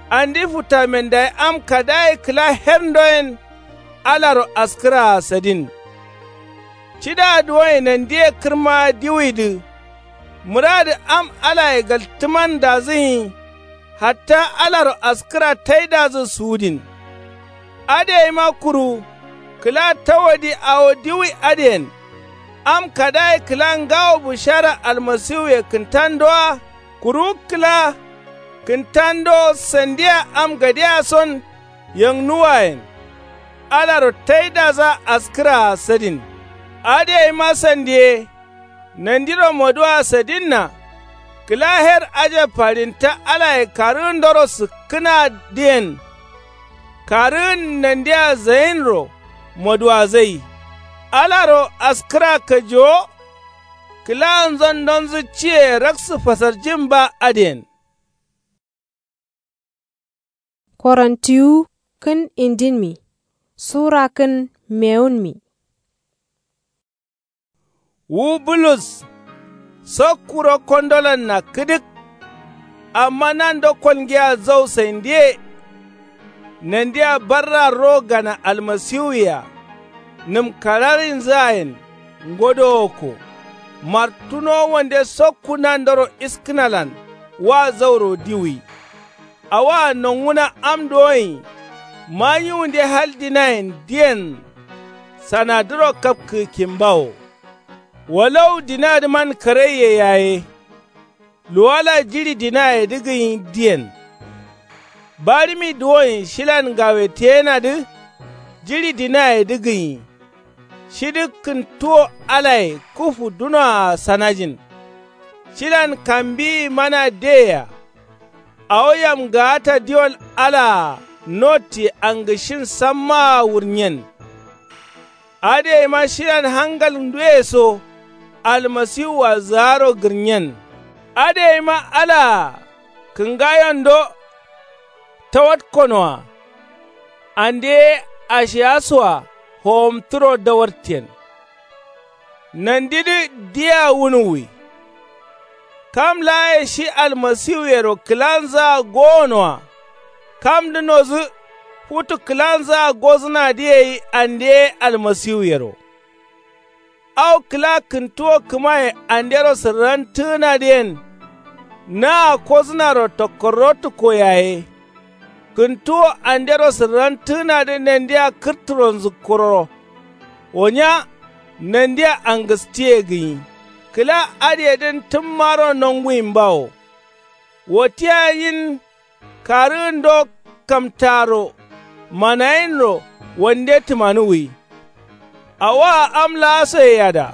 Andi futamen dayi am kadaye kǝla herndoyen alaro askǝraa sǝdin. Cida duwoye nandiye kǝrma diwuidǝ. Mǝradǝ am alaye galtǝman dazǝnyi. Hatta alaro askǝra taidadǝ suwudin. Adǝ yaima kuru kǝla tawadi awo diwui adǝyen. Am kadaye kǝla ngawo bushara almasiwuye kǝntando wa kuru kǝla kǝntando sandiya am gadeyason yangnuwayen. Alaro taidadǝa askǝraa sadin. Adǝ yaima sandiye nandiro moduwaa sadinna. Kǝla her ajabba ɍinta alaye karǝgǝndoro sǝkkǝnadǝyen. Karǝgǝn nandia zayinro moduwazai. Alaro askǝra kajiwo. Kǝlaanzon nonzǝcciyeye raksǝ fasarjin ba adǝyen. Korontiwu kǝn indinmi sura kǝn mewunmi. Wu bulus sakkuro kondolanna kǝdǝk. Amma nando kolngiya zau saindiye. Nandia barra ro gana almasiwuye-a nǝmkararinzǝayen ngodowokko. Martuno wande sakku nandoro iskǝnalan wa zauro diwui. Awoa nonguna am duwonyi. Manyiwunde hal dinayen diyen sanadǝro kapkǝgǝkkin bawo. Walau dinadǝman karaiye yaye. Luwala jiɍi dinayedǝ gǝnyi diyen. Barimi duwonyi shilan ngaweteyenadǝ jiɍi dinayedǝ gǝnyi. Shidǝ kǝntuwo alaye kufu dunoa sanajin. Shilan kambiyi mana deya. Awo yamgaata diwol alaa notti angǝshin sammaa wurnyen. Adǝ yaima shilan hangal nduye so almasiwua zǝgaro gǝrnyen. Adǝ yaima alaa kǝngayondo tawatkonoa. Ande ye ashiyasoa howomtǝro dawartiyen. Nandidǝ diya wunuwwi. Kam laaye shi almasiwuyero kǝlanzǝa gowonoa. Kamdǝ nodǝ futu kǝlanzǝa gozǝnadǝ gai ande ye almasiwuyero. Au kǝla kǝntuwo kǝmaye andero sǝrrantǝgǝnadǝ yen. Naa kozǝnaro tokkorrotǝkko yaye. Kǝntuwo andero sǝrrantǝgǝnadǝ nandia kǝrtǝro nzǝkkuroro. Wonya nandia angǝstiye gǝnyi. Kǝla adǝyedǝn tǝmmaro nonguyin bawo. Wotiya nyin karǝgǝndo kamtaaro manayinro wande tǝmanuwwi. Awoa am laasoye yada.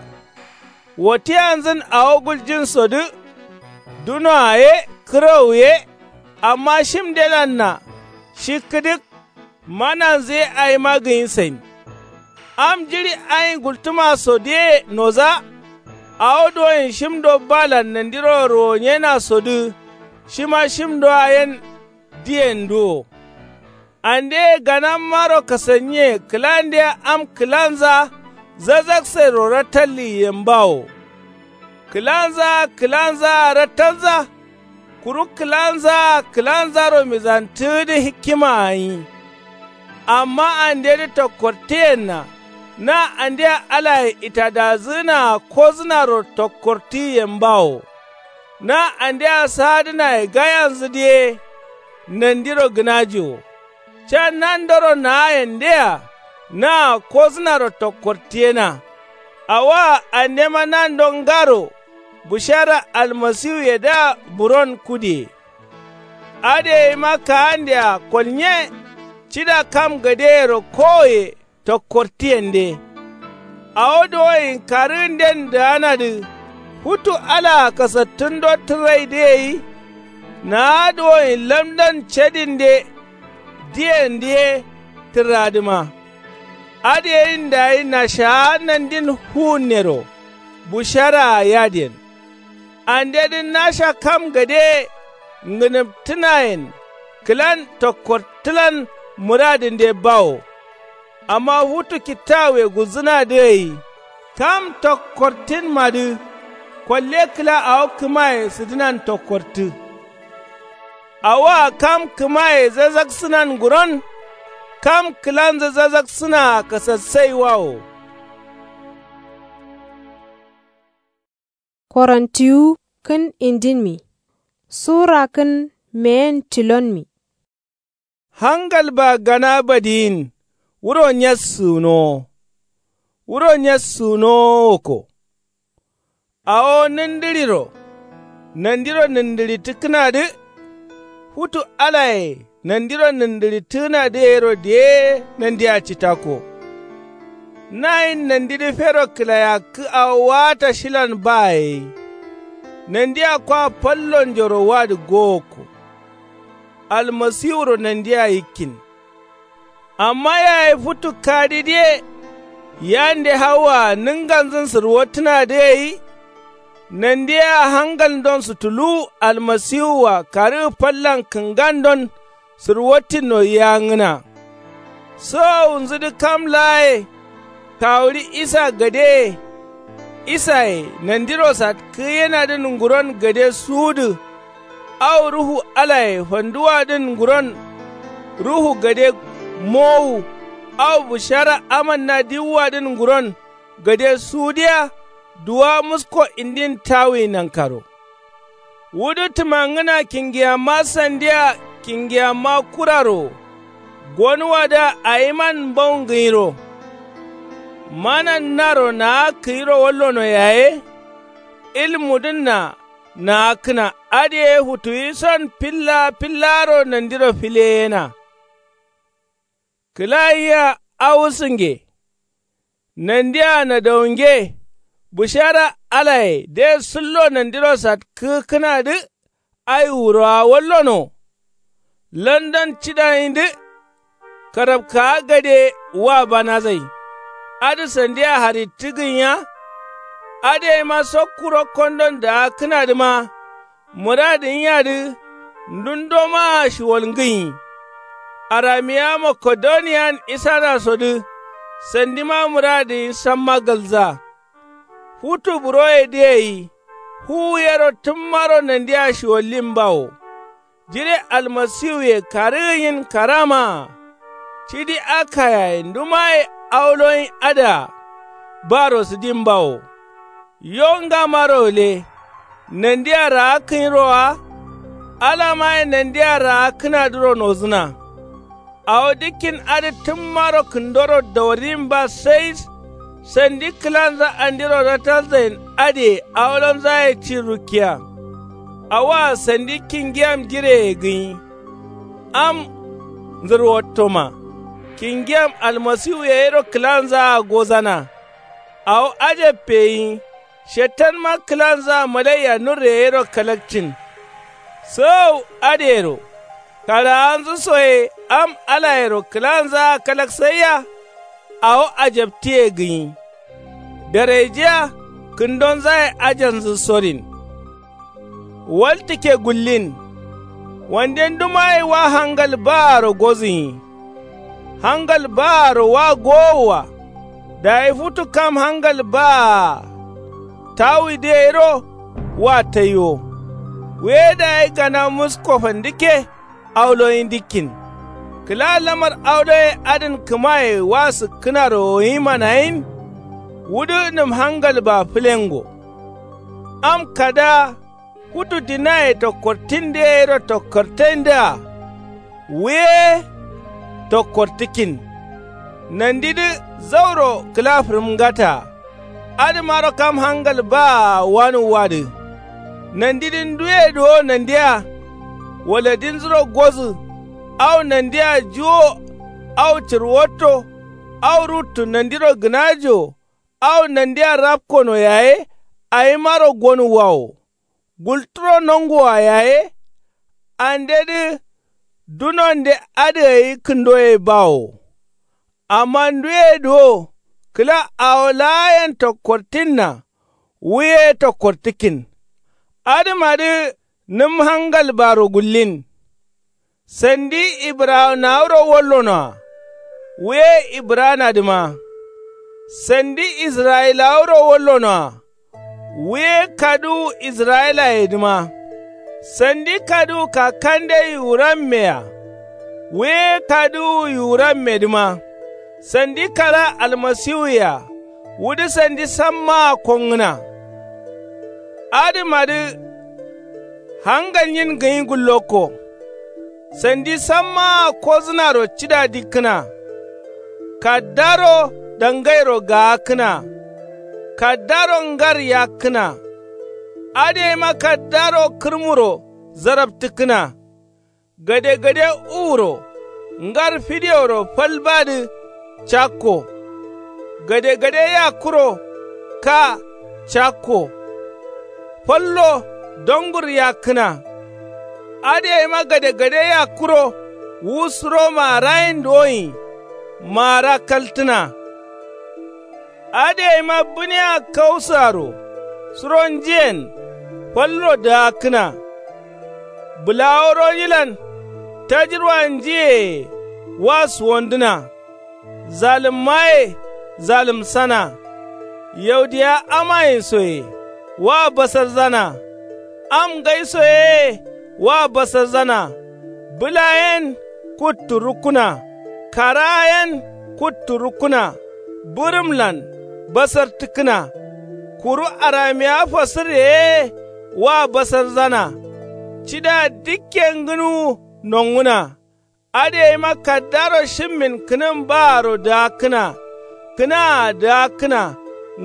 Wotiyanzǝn awo guljinsodǝ. Dunoa ye kǝrau ye. Amma shimdelanna shi kǝdǝk. Mananzǝ ye aima gǝnyi sain. Am jiɍi ain gultǝmasodǝye nodza. Awo duwonyi shimdo balan nandiro ruwonyenasodǝ. Shima shimdoa yen diyenduwo. Andeye ganammaro kasanniye kǝlandeya am kǝlanza zazaksairo ratalliyen bawo. Kǝlanzaa kǝlanzaa ratalza. Kuru kǝlanzaa kǝlanzaro mizantǝgǝdǝ hikkimaa gǝnyi. Amma andedǝ tokkortǝyenna. Na andea alaye itadazǝgǝnaa kozǝnaro tokkortǝgǝyen bawo. Na andea sadǝnaye gayanzǝdǝ ye. Nandiro gǝnaji wo. Ca nandoro naayendea naa kozǝnaro tokkortǝyena. Awoa andema nando ngaro bushara almasiwuyedǝa buron kudiye. Adǝ yaima kaandea kolnye. Cida kam gadeyero kowoye tokkortǝyende. Awo duwoyin karǝgǝnden dǝganadǝ. Futu alaa kasattǝndo tǝrraidǝ gai. Naa duwoyin lamdan cadinde. Diyendǝ ye tǝrradǝma. Adǝ yayin dayi nashaa nandin fuwunnero busharaa yadǝyen. Andedǝ nasha kam gade ngǝnǝmtǝnayen kǝlan tokkortǝlan mǝradǝnde bawo. Amma futu kittawuye gulzǝnadǝ gai kam tokkortinmadǝ. Kolle kǝla awo kǝmaye sǝdǝnan tokkortǝ. Awoa kam kǝmaye zazaksǝnan nguron. Kam kǝlanzǝ zazaksǝnaa kasassaiwawo. Korontiwu kǝn indinmi sura kǝn Meyen tilonmi. Hangalba gana badiyin. Wuro nyassǝnowo. Wuro nyassǝnowo woko. Awo nǝndǝɍiro nandiro nǝndǝɍittǝkkǝnadǝ. Futu alaye nandiro nǝndǝɍittǝkkǝnadǝ yero diye nandia citakko. Nayin nandidǝ fero kǝlayakkǝ awo waata shilan ba yai. Nandia kwa fallonjoro wadǝ gowokko. Almasiwuro nandia yikkin. Amma yayi futu kadidǝye yande hawwaa nǝnganzǝn sǝrwottǝnadǝ gai. Nandiyea hangaldon sutuluwu almasiwua karǝgǝ fallan kǝngandon sǝrwottinno yiyangǝna. Sowowunzudǝ kam laaye kawuɍi isa gadeye. Isaye nandiro satkǝgǝyenadǝn nguron gade suwudǝ. Au ruhu alaye fanduwadǝn nguron ruhu gade mowu. Au bǝshara amanna diwuwadǝn nguron gade suwudǝya. Duwa musko indin tawuyi nankaro. Wudǝ tǝmangǝna kingiyamma sandiya kingiyamma kuraro. Gonuwadǝa ayiman mbaungǝnyiro. Manannaro naa kǝyiro wallono yaye. Ilmudǝnna naakkǝna adǝ ye futuwison filla fillaro nandiro fileyena. Kǝla yiya awusǝnge. Nandia nadaunge. Bǝshara alaye de sǝllo nandiro satkǝgǝkkǝnadǝ. Ai wurowa wallono. London cidanyidǝ. Karabkawa gade wa banazai. Adǝ sandia harittǝ gǝnya. Adǝ yeima sokku rokkondon daakkǝnadǝma. Mǝradǝ nyiadǝ ndundo maa shiwal ngǝnyi. Aramiya makedoniyan isanasodǝ. Sandima mǝradǝ nyi samma galza. Futu buroyedǝ gai fuwu yero tǝmmaro nandia shiwallin bawo. Jire almasiwuye karǝgǝnyin karamaa. Cidi akayaye ndumaye auloyin adǝa. Baro sǝdin bawo. Yo ngamaro gǝle. Nandia raakkǝnyiro wa. Alamaye nandia raakkǝnadǝro nozǝna. Awo dikkin adǝ tǝmmaro kǝndoro dawarin ba sai. Sandi kǝlanza andiro ratalzain adǝye awolonzaye cin rukkiya. Awoa sandi kingiyam jireye gǝnyi. Am nzǝrwottoma. Kingiyam almasiwuye yero kǝlanzaa gozana. Awo ajabbe gǝnyi. Shettanma kǝlanzaa malaiya nurre yero kalakcin. Sowowu adǝyero. Karawanzǝ soye am alayero kǝlanzaa kalaksaiya. Awo ajabtǝye gǝnyi. Daraije-a kǝndonzaye ajanzǝ sorin. Waltǝkke gullin. Wande ndumagai wa hangal baaro gozǝnyi. Hangal baaro wa gowoa. Dayi futu kam hangal baa. Tawuidǝ gairo wa taiwo. Wuye dayi gana musko fandǝkke. Auloyin dikkin. Kǝla lamar auloye adǝn kǝmaye wa sǝkkǝnaro gǝnyi manayin. Wudǝ nǝm hangal baa fǝlengo. Am kada. Futu dinaye tokkortindǝ ye gairo tokkortaindǝa. Wuye tokkortǝkkin. Nandidǝ zauro kǝla fǝrǝmngataa. Adǝmaro kam hangal baa wanuwwadǝ. Nandidǝ nduye duwo nandia. Waladinzuro gozǝ. Au nandia juwo. Au cǝrwotto. Au ruttu nandiro gǝnajo. Au nandia rapkono yaye. Awimaro gonuwwawo. Gulturo nongoa yaye. Andedǝ dunonde adǝ gai kǝndoye bawo. Amma nduye duwo kǝla awo laayen tokkortinna. Wuye tokkortǝkkin. Adǝmadǝ nǝm hangal baro gullin. Sandi ibǝrawanawuro wallonoa. Wuye ibǝrawanadǝma. Sandi israyilawuro wallonoa. Wuye kaduwu israyilayedǝma. Sandi kaduwu kakande yiwurammea. Wuye kaduwu yiwurammedǝma. Sandi kara almasiwuyea. Wudǝ sandi sammaa kongǝna. Adǝmadǝ hangalnyin gǝnyi gullokko. Sandi sammaa kodzǝnaro cida dikkǝna. Kaddaro dangairo gaakkǝna. Kaddaro ngar yakkǝna. Adǝ yeima kaddaro kǝrmuro zaraptǝkkǝna. Gadegade uwuro ngar fideworo fal badǝ. Cakko gadegade yakkuro. Ka cakko fallo dongur yakkǝna. Adǝ yeima gadegade yakkuro wu suro maarayin doyin. Maara kaltǝna. Adǝ yeima bǝniya kausǝaro suro njiyen fallo daakkǝna. Bǝlawo ronyilan tajirwa njiyeye wa suwandǝna. Zalǝmmaye zalǝmsana. Yaudiya amayin soye wa basarzana. Am ngai soyeye wa basarzana. Bǝla yen kuttu rukkuna. Kara yen kuttu rukkuna. Bǝrǝmlan basartǝkkǝna. Kuru aramiya fasǝrre ye wa basarzana. Cida dikke ngǝnuwu nonguna. Adǝ yeima kaddaro shimmin kǝnǝm baaro daakkǝna. Kǝnaa daakkǝna.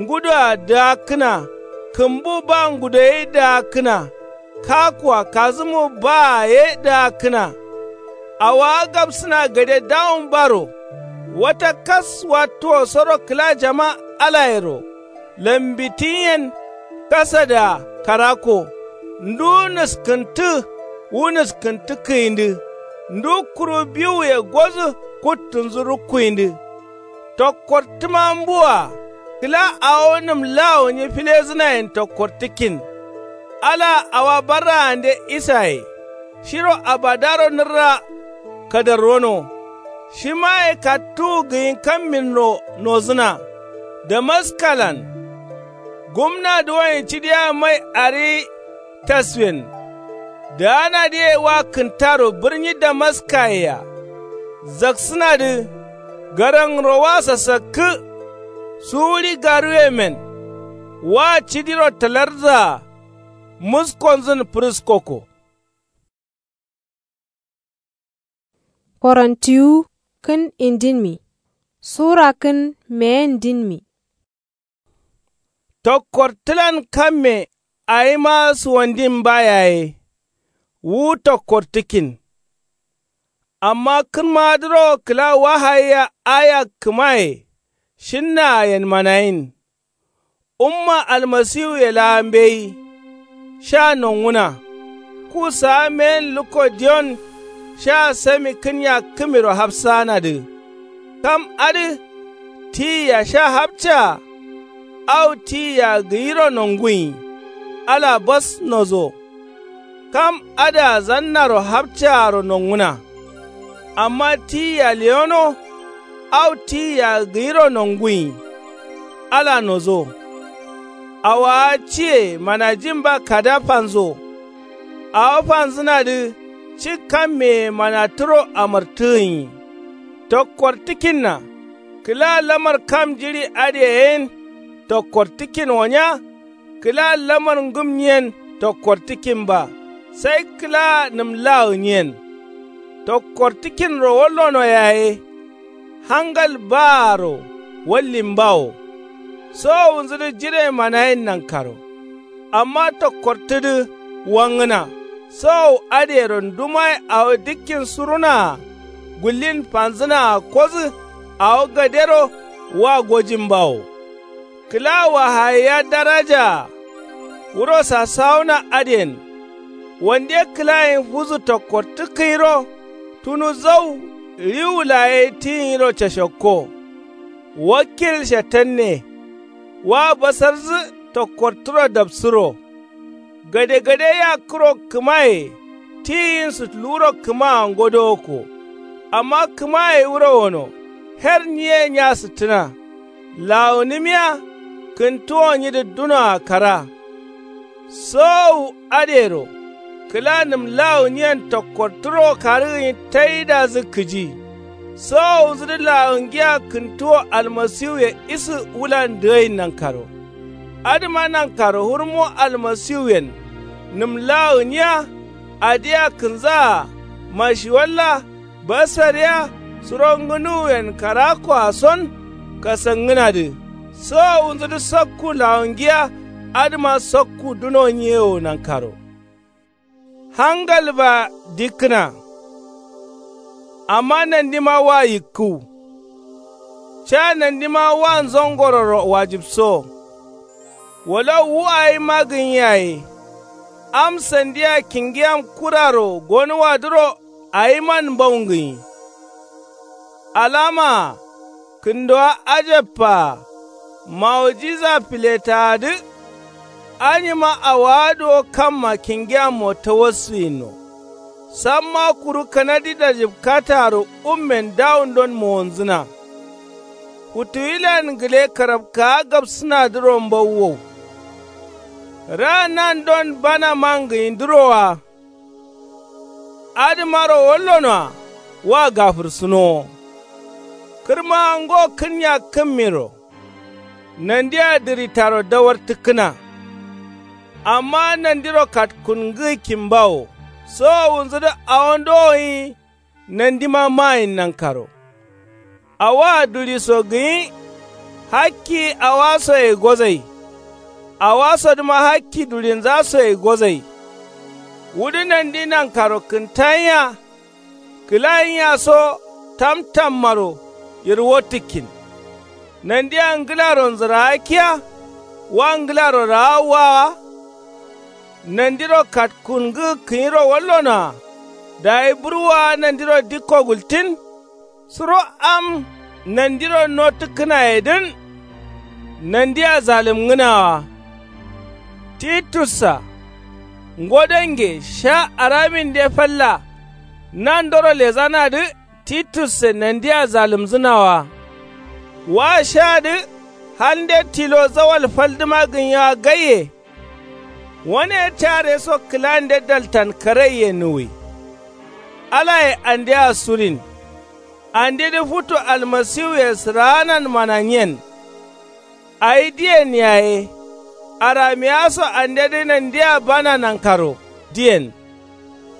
Ngudoa daakkǝna. Kǝmbu ba ngudoye daakkǝna. Kakuwa kazǝmu baa ye daakkǝna. Awowa gabsǝna gade dawun baro. Wata kas wattuwo soro kǝla jama alayero. Lambitin yen kasadǝa karakko. Ndu nǝskǝntǝ wu nǝskǝntǝ kǝyindǝ. Ndu kuru biwuye godǝ kuttunzǝ rukkuyindǝ. Tokkortǝma mbuwa. Kǝla awo nǝm lawo nyi filezǝnayen tokkortǝkkin. Alaa awa barraande isaye. Shiro abadaro nǝrra kadarrono. Shimaye kattuwu gǝyin kamminro nozǝna. Damaskalan gumna duwoyen cidiya mai ariyi. Taswen daanadǝye wa kǝntaro bǝrnyi damaskayea. Zaksǝnadǝ garangro wa sasakkǝ. Suwuɍi garuwemen wa cidiro talarzaa. Muskonzǝn fǝrǝskoko. Korontiwu kǝn indinmi. Sura kǝn meyendinmi. Tokkortǝlan kamme awima suwandin ba yaye. Wu tokkortǝkkin. Amma kǝnmadǝro kǝla wahayiya aya kǝmaye. Shinnaa yen manayin. Umma almasiwuye laa mbeyi. Sha nonguna. Ku saa meyen lukko diyon. Sha sami kǝnya kǝmiro hapsaanadǝ. Kam adǝ tiyia sha hapcaa. Au tiyia gǝyiro nonguyi. Ala bas nozo. Kam adǝa zannaro hapcaaro nonguna. Amma tiyia lewono. Au tiyia gǝyiro nonguyi. Ala nozo. Awowa ciye manajin ba kada fanzo. Awo fanzǝnadǝ ci kammeye mana turo amartǝgǝnyi. Tokkortǝkkinna. Kǝla lamar kam jiɍi adǝye yen tokkortǝkkin wonya. Kǝla lamar ngǝmnyiyen tokkortǝkkin ba. Sai kǝla nǝmlagǝnyiyen. Tokkortǝkkinro wallono yaye. Hangal baaro wallimbawo. Sowowunzǝdǝ jire manayin nankaro. Amma tokkortǝdǝ wangǝna. Sowowu adǝyero ndumaye awo dikkin surunaa. Gullin fanzǝnaa kodǝ. Awo gadero wa gojimbawo. Kǝla wahayiya darajaa. Wuro sasawuna adǝyen. Wande kǝlayin fudǝ tokkortǝkkǝyiro. Tunu zau riwu laa ye tiyinyiro cashakko. Wakkil shatanne. Wa basarzǝ tokkortǝro dapsǝro. Gadegade yakkuro kǝmaye. Tiyiyin sǝtuluwuro kǝmaa ngodowokko. Amma kǝmaye wuro wono. Her nyiye nya sǝttǝna. Lawunǝmiya kǝntuwonyidǝ dunoa kara. Sowowu adǝyero. Kǝla nǝmlawunyiyen tokkortǝro karǝgǝnyi taidazǝ kǝji. Sowowunzǝdǝ lawungiya kǝntuwo almasiwuye isǝ wulan dǝgain nankaro. Adǝma nankaro hurmo almasiwuyen. Nǝmlawunyiya. Adǝyea kǝnzaa. mashiwalla basariya suro ngǝnuwuyen karakkoa son kasangǝnadǝ. Sowowunzudǝ sakku lawongiya adǝma sakku duno nyewo nankaro hangalba dikkǝna. Amma nandima wa yikkǝw ca nandima wa nzongororo wajibso. Wala wu awima gǝnyi yaye am sandia kingiyam kuraro gonuwadǝro awiman mbaungǝnyi. Alamaa kǝndowa ajabpaa mawojiza filetaadǝ. Anyima awaa duwo kamma kingiyammo tawassuyinno. Samma kuru kanadi dajibkataaro ummen dawundon mowonzǝna. Futuwilan gǝle karabkawa gabsǝnadǝro mbauwow. Raa nandon bana mangǝnyidǝro wa adǝmaro wallonoa wa gafǝrsǝnowo. Kǝrmawa ngo kǝnyakkǝmmiro nandia dǝritaro dawartǝkkǝna. Amma nandiro katkungǝ kimbawo sowowunzudǝ awo ndowoyi. Nandima mayin nankaro awoa duliso gǝnyi. Hakki awoasoye gozai awasodǝma hakki dulinzasoye gozai. Wudǝ nandi nankaro kǝntanya kǝlayinya so tamtammaro yirwottǝkkin. Nandia ngǝlaro nzǝraakkiya wa ngǝlaro raawwawa. Nandiro katkungǝ kǝnyiro wallonoa dayi burwowa nandiro dikko gultin. Suro am nandiro nottǝkkǝnayedǝn nandia zalǝmngǝnawa. Titussa ngo dange sha araminde falla nandoro lezanadǝ. Titusse nandia zalǝmzǝnawa wa shadǝ. Halnde tilo zawal faldǝma gǝnyewa gaiye. Wane care so kǝlande daltan karaiye nuwi. Alaye andea surin andedǝ futu almasiwuye sǝraanan mananyen. Awi diyen yaye aramiya so andedǝ nandia bana nankaro diyen.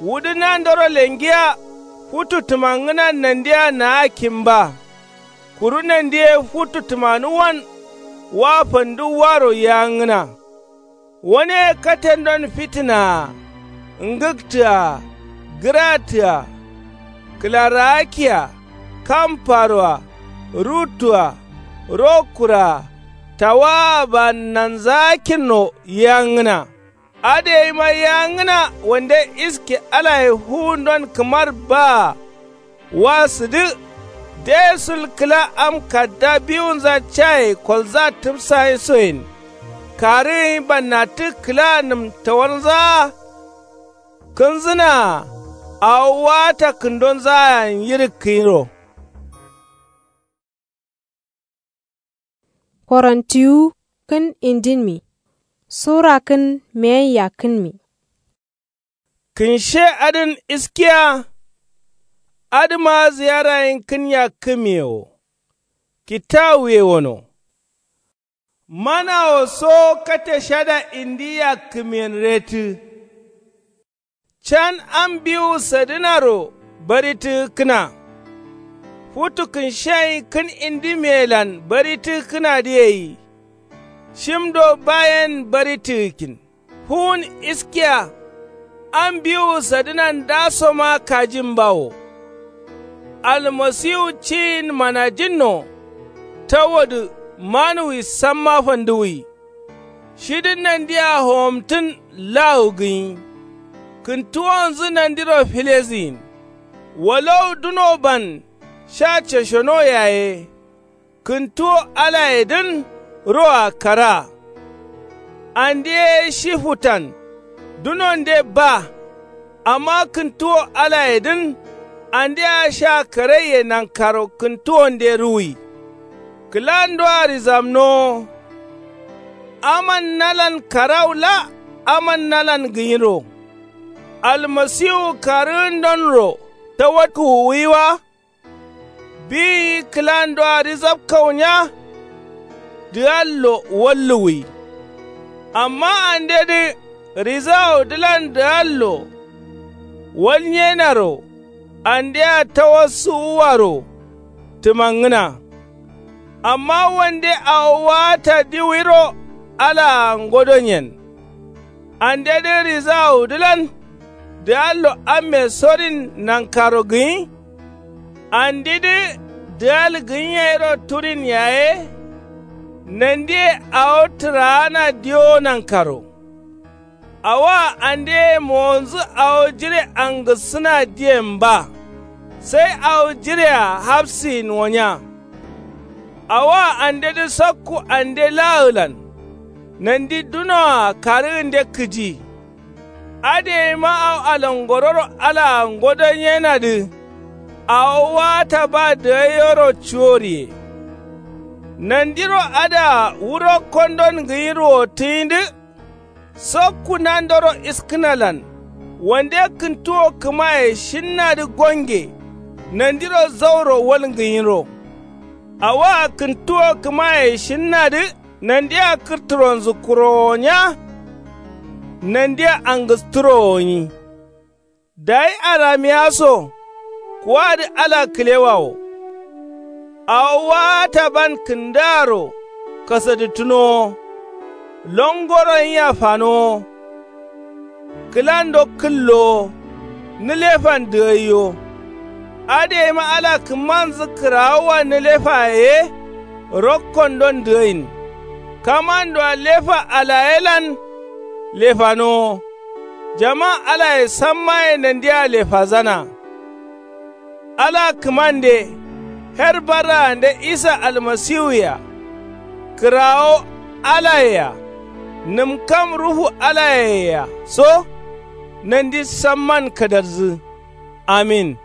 Wudǝ nandoro lengiya futu tǝmangǝnan nandia naa kimba. Kuru nandi ye futu tǝmanuwwan wa fanduwwaro yiyangǝna. Wane ye katendon fitǝnaa ngǝktǝa gǝratǝa kǝlaraakkia kamparo-a ruttu-a rokkur-a tawaa-a bannanzaakkinno yiyangǝna. Adǝ yayima yiyangǝna wande iske alaye fuwundon kǝmar baa wa sǝdǝ. Dai sul kǝla am kadda biwunza caye kolzaa tǝbsayin soyen karǝgǝnyi bannattǝ kǝla nǝm tawarnzaa. Kǝnzǝnaa awo waata kǝndonzaayen yirǝkkǝnyiro. Korontiwu kǝn indinmi sura kǝn meyen yakkǝnmi. Kǝnshe adǝn iskiya. Adǝma ziyarayen kǝn yakkǝmiye wo kitawuye wono. Manawo so kate shada indi yakkǝmiyen retǝ. Can am biwu sadǝnaro baritǝgǝkkǝna. Futu kǝnsheyin kǝn indimiyelan baritǝgǝkkǝnadǝ gai. Shim do bayen baritǝgǝkkin fuwun iskiya. Am biwu sadǝna ndasoma kajimbawo. Almasiwu ciyin manajinno. Tawodǝ manuwi samma fanduwwi. Shidǝ nandia howomtǝn lawu gǝnyi. Kǝntuwonzǝ nandiro filezǝyin. Walau duno ban sha ceshono yaye. Kǝntuwo alayedǝn roa karaa. Ande ye shi futan dunonde ba. Amma kǝntuwo alayedǝn andea sha karaiye nankaro kǝntuwonde ruwi. Kǝlandoa rizamnowo. Aman nalan karau la aman nalan gǝnyiro. Almasiwu karǝgǝndonro tawakkǝwuwi wa. Biyi kǝlandoa rizabkaunya. Dǝgallo walluwwi. Amma andedǝ rizawodǝlan dǝgallo walnyenaro. andea tawassuwuwaro tǝmangǝna. Amma wande awo waata diwiro alaa ngodonyen. Andedǝ rizawudǝlan dǝgallo amme sorin nankaro gǝnyi. Andidǝ dǝgal gǝnyi yero turin yaye. Nandiye awo tǝraana diwo nankaro. Awoa andeye mowonzǝ awo jire angussǝna diyen ba. Sai awo jirea hapsiyin wonya. Awoa andedǝ sakku ande laagǝlan. Nandi dunoa karǝgǝnde kǝji. Adǝ yeima awo alangororo alaa ngodonyenadǝ. Awo waata ba dǝgaiyoro cuworiye. Nandiro adǝa wuro kondon gǝnyi ruwottǝnyidǝ. Sokku nandoro iskǝnalan wande kǝntuwo kǝmaye shinnadǝ gonge. Nandiro zauro walngǝnyiro. Awoa kǝntuwo kǝmaye shinnadǝ. Nandia kǝrtǝronzǝ kurowo nya. Nandia angǝstǝrowo nyi. Dayi aramiya so kuwadǝ ala kǝlewawo. Awo waataban kǝndaaro kasadǝttǝnowo. Longoro nyia fanowo. Kǝlando kǝllowo. Nǝlefan dǝgaiyo. Adǝ yeima ala kǝmmanzǝ kǝrawoa nǝlefaye ye. Rokkondon dǝgain. Kamandoa lefa alayelan lefanowo. Jama alaye sammaye nandia lefazana. Ala kǝmande. Her barraande isa almasiwuye-a. Kǝrawo alaye-a. Nǝmkam ruhu alayeye-a so. Nandi samman kadarzǝ. Amin.